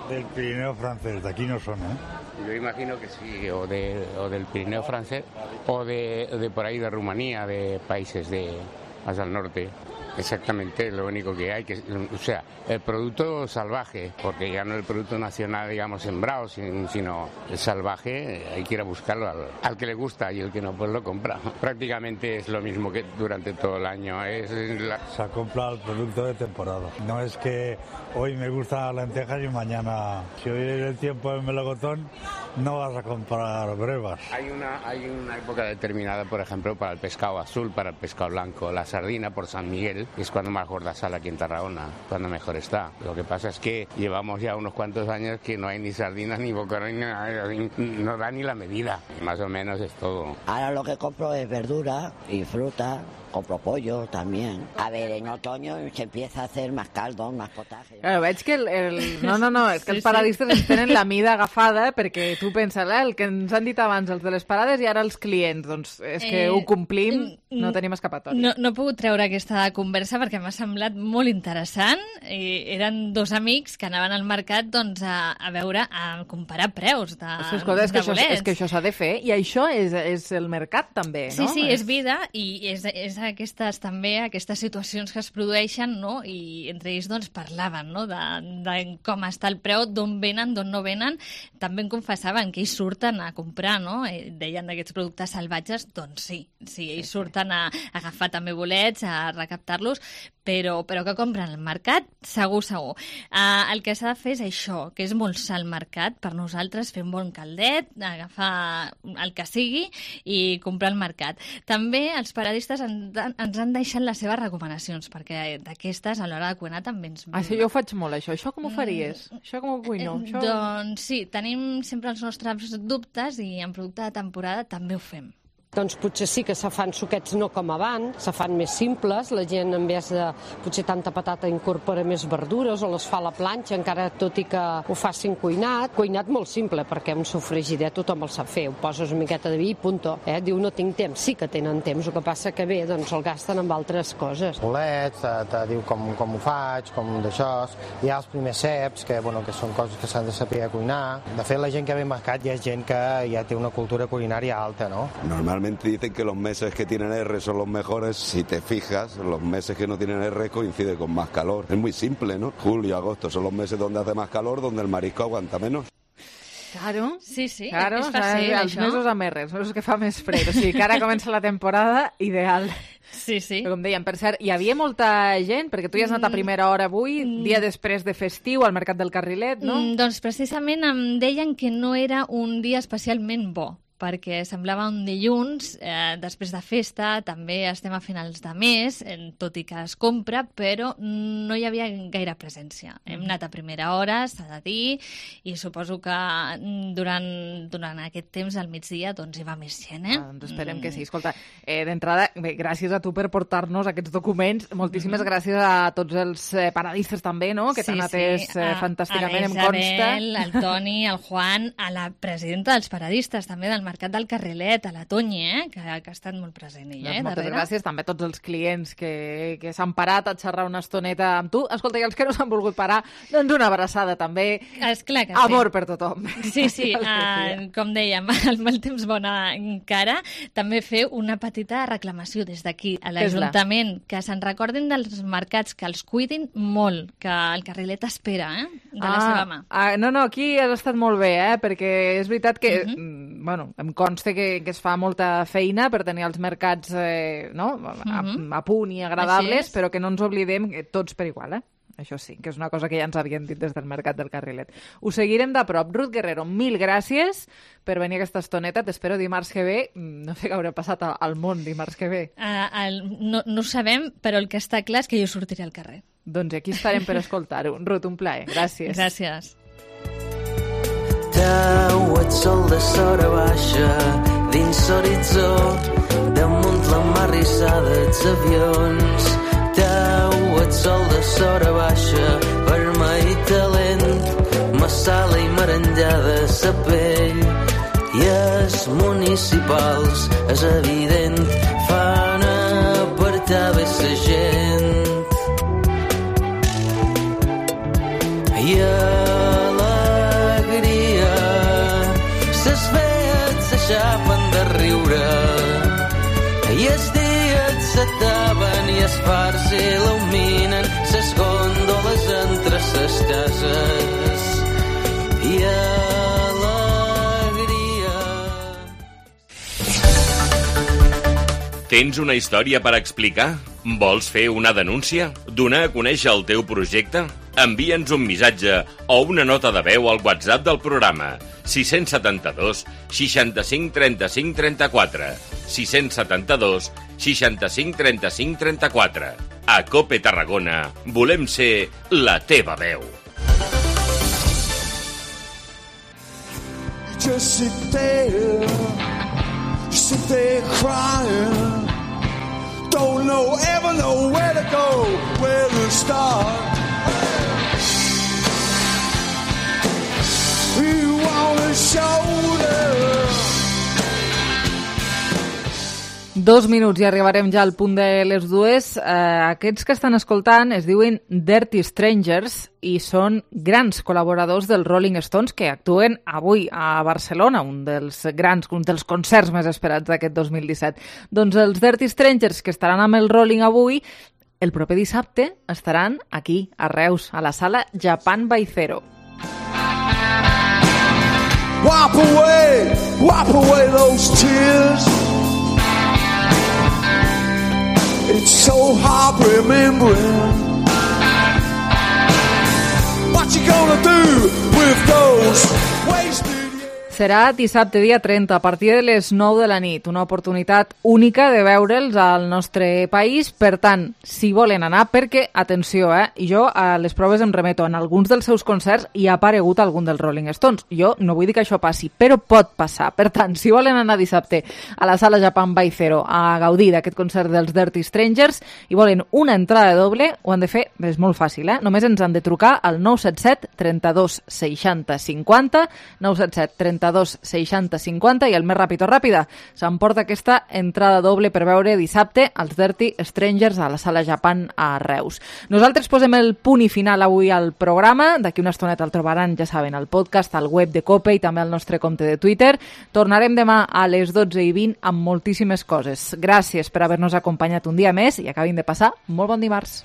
Del Pirineo francés, de aquí no son, ¿eh? Yo imagino que sí, o del Pirineo francés o de por ahí de Rumanía, de países más al norte. Exactamente, lo único que hay, o sea, el producto salvaje, porque ya no el producto nacional, digamos, sembrado, sino el salvaje, hay que ir a buscarlo al que le gusta y el que no, pues lo compra. Prácticamente es lo mismo que durante todo el año. Se compra el producto de temporada. No es que hoy me gustan las lentejas y mañana, si hoy es el tiempo del melocotón, no vas a comprar brevas. Hay una época determinada, por ejemplo, para el pescado azul, para el pescado blanco. La sardina por San Miguel es cuando más gorda sale aquí en Tarragona, cuando mejor está. Lo que pasa es que llevamos ya unos cuantos años que no hay ni sardinas ni boquerón, no da ni la medida. Más o menos es todo. Ahora lo que compro es verdura y fruta. Compro pollo también. A ver, en otoño se empieza a hacer más caldo, más potaje. Claro, veig que és que els paradistes ens tenen la mida agafada, perquè tu penses, el que ens han dit abans els de les parades i ara els clients, doncs és que ho complim, no tenim escapatòria. No he pogut treure aquesta conversa perquè m'ha semblat molt interessant. Eren dos amics que anaven al mercat doncs, a comparar preus de bolets. És que això s'ha de fer, i això és el mercat també, no? Sí, és vida, i és aquestes situacions que es produeixen, no? I entre ells doncs, parlaven, no? de com està el preu, d'on venen, d'on no venen. També em confessaven que ells surten a comprar, no? Deien d'aquests productes salvatges, doncs sí, ells surten a agafar també bolets, a recaptar-los, però que compren al mercat, segur. El que s'ha de fer és això, que és molsar al mercat, per nosaltres fer un bon caldet, agafar el que sigui i comprar al mercat. També els paradistes ens han deixat les seves recomanacions, perquè d'aquestes a l'hora de cuinar també ens... Sí, jo ho faig molt, això. Això com ho faries? Això com ho cuino? Doncs sí, tenim sempre els nostres dubtes i en producte de temporada també ho fem. Doncs potser sí que se fan suquets no com abans, se fan més simples, la gent en vez de potser tanta patata incorpora més verdures o les fa a la planxa, encara tot i que ho facin cuinat molt simple, perquè un sofregidet tothom el sap fer, ho poses una miqueta de vi i punto. Diu no tinc temps, sí que tenen temps, el que passa que bé, doncs el gasten amb altres coses. Bolets, te diu com ho faig, com d'això, hi ha els primers ceps, que són coses que s'han de saber cuinar. De fet, la gent que ve al mercat ja és gent que ja té una cultura culinària alta, no? Normalmente dicen que los meses que tienen R son los mejores. Si te fijas, los meses que no tienen R coinciden con más calor. Es muy simple, ¿no? Julio y agosto son los meses donde hace más calor, donde el marisco aguanta menos. Claro, sí, claro, és fàcil, els mesos amb R, els mesos que fa més fred, o sigui que ara comença la temporada ideal. Sí. Però com dèiem, per cert, hi havia molta gent, perquè tu ja has anat a primera hora avui, dia després de festiu, al Mercat del Carrilet, no? Doncs precisament em deien que no era un dia especialment bo, perquè semblava un dilluns, després de festa, també estem a finals de mes, tot i que es compra, però no hi havia gaire presència. Hem anat a primera hora, s'ha de dir, i suposo que durant aquest temps, al migdia, doncs hi va més gent, Doncs esperem que sí. Escolta, d'entrada, gràcies a tu per portar-nos aquests documents, moltíssimes gràcies a tots els paradistes també, no?, que t'han atès fantàsticament, em consta. A l'Isabel, al Toni, al Juan, a la presidenta dels paradistes, també del Mercat del Carrilet, a la Toñi, que ha estat molt present ella, Moltes darrere. gràcies també a tots els clients que s'han parat a xerrar una estoneta amb tu. Escolta, i els que no s'han volgut parar, doncs una abraçada també. Esclar que Amor per tothom. Sí, com dèiem, el mal temps bona encara. També fer una petita reclamació des d'aquí a l'Ajuntament, que se'n recordin dels mercats, que els cuidin molt, que el Carrilet espera, de la seva mà. No, aquí has estat molt bé, perquè és veritat que, em consta que es fa molta feina per tenir els mercats a punt i agradables, però que no ens oblidem que tots per igual, Això sí, que és una cosa que ja ens havien dit des del Mercat del Carrilet. Ho seguirem de prop. Ruth Guerrero, 1000 gràcies per venir a aquesta estoneta. T'espero dimarts que ve. No sé què haurà passat al món dimarts que ve. No ho sabem, però el que està clar és que jo sortiré al carrer. Doncs aquí estarem per escoltar-ho. Ruth, un plaer. Gràcies. Gràcies. Tau, et sol de sora baixa dins l'horitzó, damunt la mar rissada els avions. Tau, et sol de sora baixa, vermell i talent, massala i merenllada sa pell. I els municipals, és evident, fan apartar bé sa gent. I s'aixapen de riure i els dies s'ataven i els fars il·luminen ses gòndoles entre ses cases i alegria. Tens una història per explicar? Vols fer una denúncia? Donar a conèixer el teu projecte? Envia'ns un missatge o una nota de veu al WhatsApp del programa 672 65 35 34 672 65 35 34. A COPE Tarragona volem ser la teva veu. Just sit there crying. Don't ever know where to go, where to start. You want a shoulder. 2 minuts i arribarem ja al punt de les 2. Aquests que estan escoltant es diuen Dirty Strangers i són grans col·laboradors dels Rolling Stones que actuen avui a Barcelona, un dels concerts més esperats d'aquest 2017. Doncs els Dirty Strangers que estaran amb el Rolling avui, el proper dissabte estaran aquí, a Reus, a la sala Japan by Zero. Wipe away those tears. It's so hard remembering. What you gonna do with those wasted years? Serà dissabte, dia 30, a partir de les 9 de la nit. Una oportunitat única de veure'ls al nostre país. Per tant, si volen anar, perquè, atenció, jo a les proves em remeto, en alguns dels seus concerts hi ha aparegut algun dels Rolling Stones. Jo no vull dir que això passi, però pot passar. Per tant, si volen anar dissabte a la sala Japan by Zero a gaudir d'aquest concert dels Dirty Strangers i volen una entrada doble, ho han de fer, és molt fàcil, només ens han de trucar al 977 32 60 50, 977 32 60 50 i el més ràpid o ràpida s'emporta aquesta entrada doble per veure dissabte els Dirty Strangers a la sala Japan a Reus. Nosaltres posem el punt i final avui al programa. D'aquí una estoneta el trobaran, ja saben, al podcast, al web de COPE i també al nostre compte de Twitter. Tornarem demà a les 12:20 amb moltíssimes coses. Gràcies per haver-nos acompanyat un dia més i acabin de passar molt bon dimarts.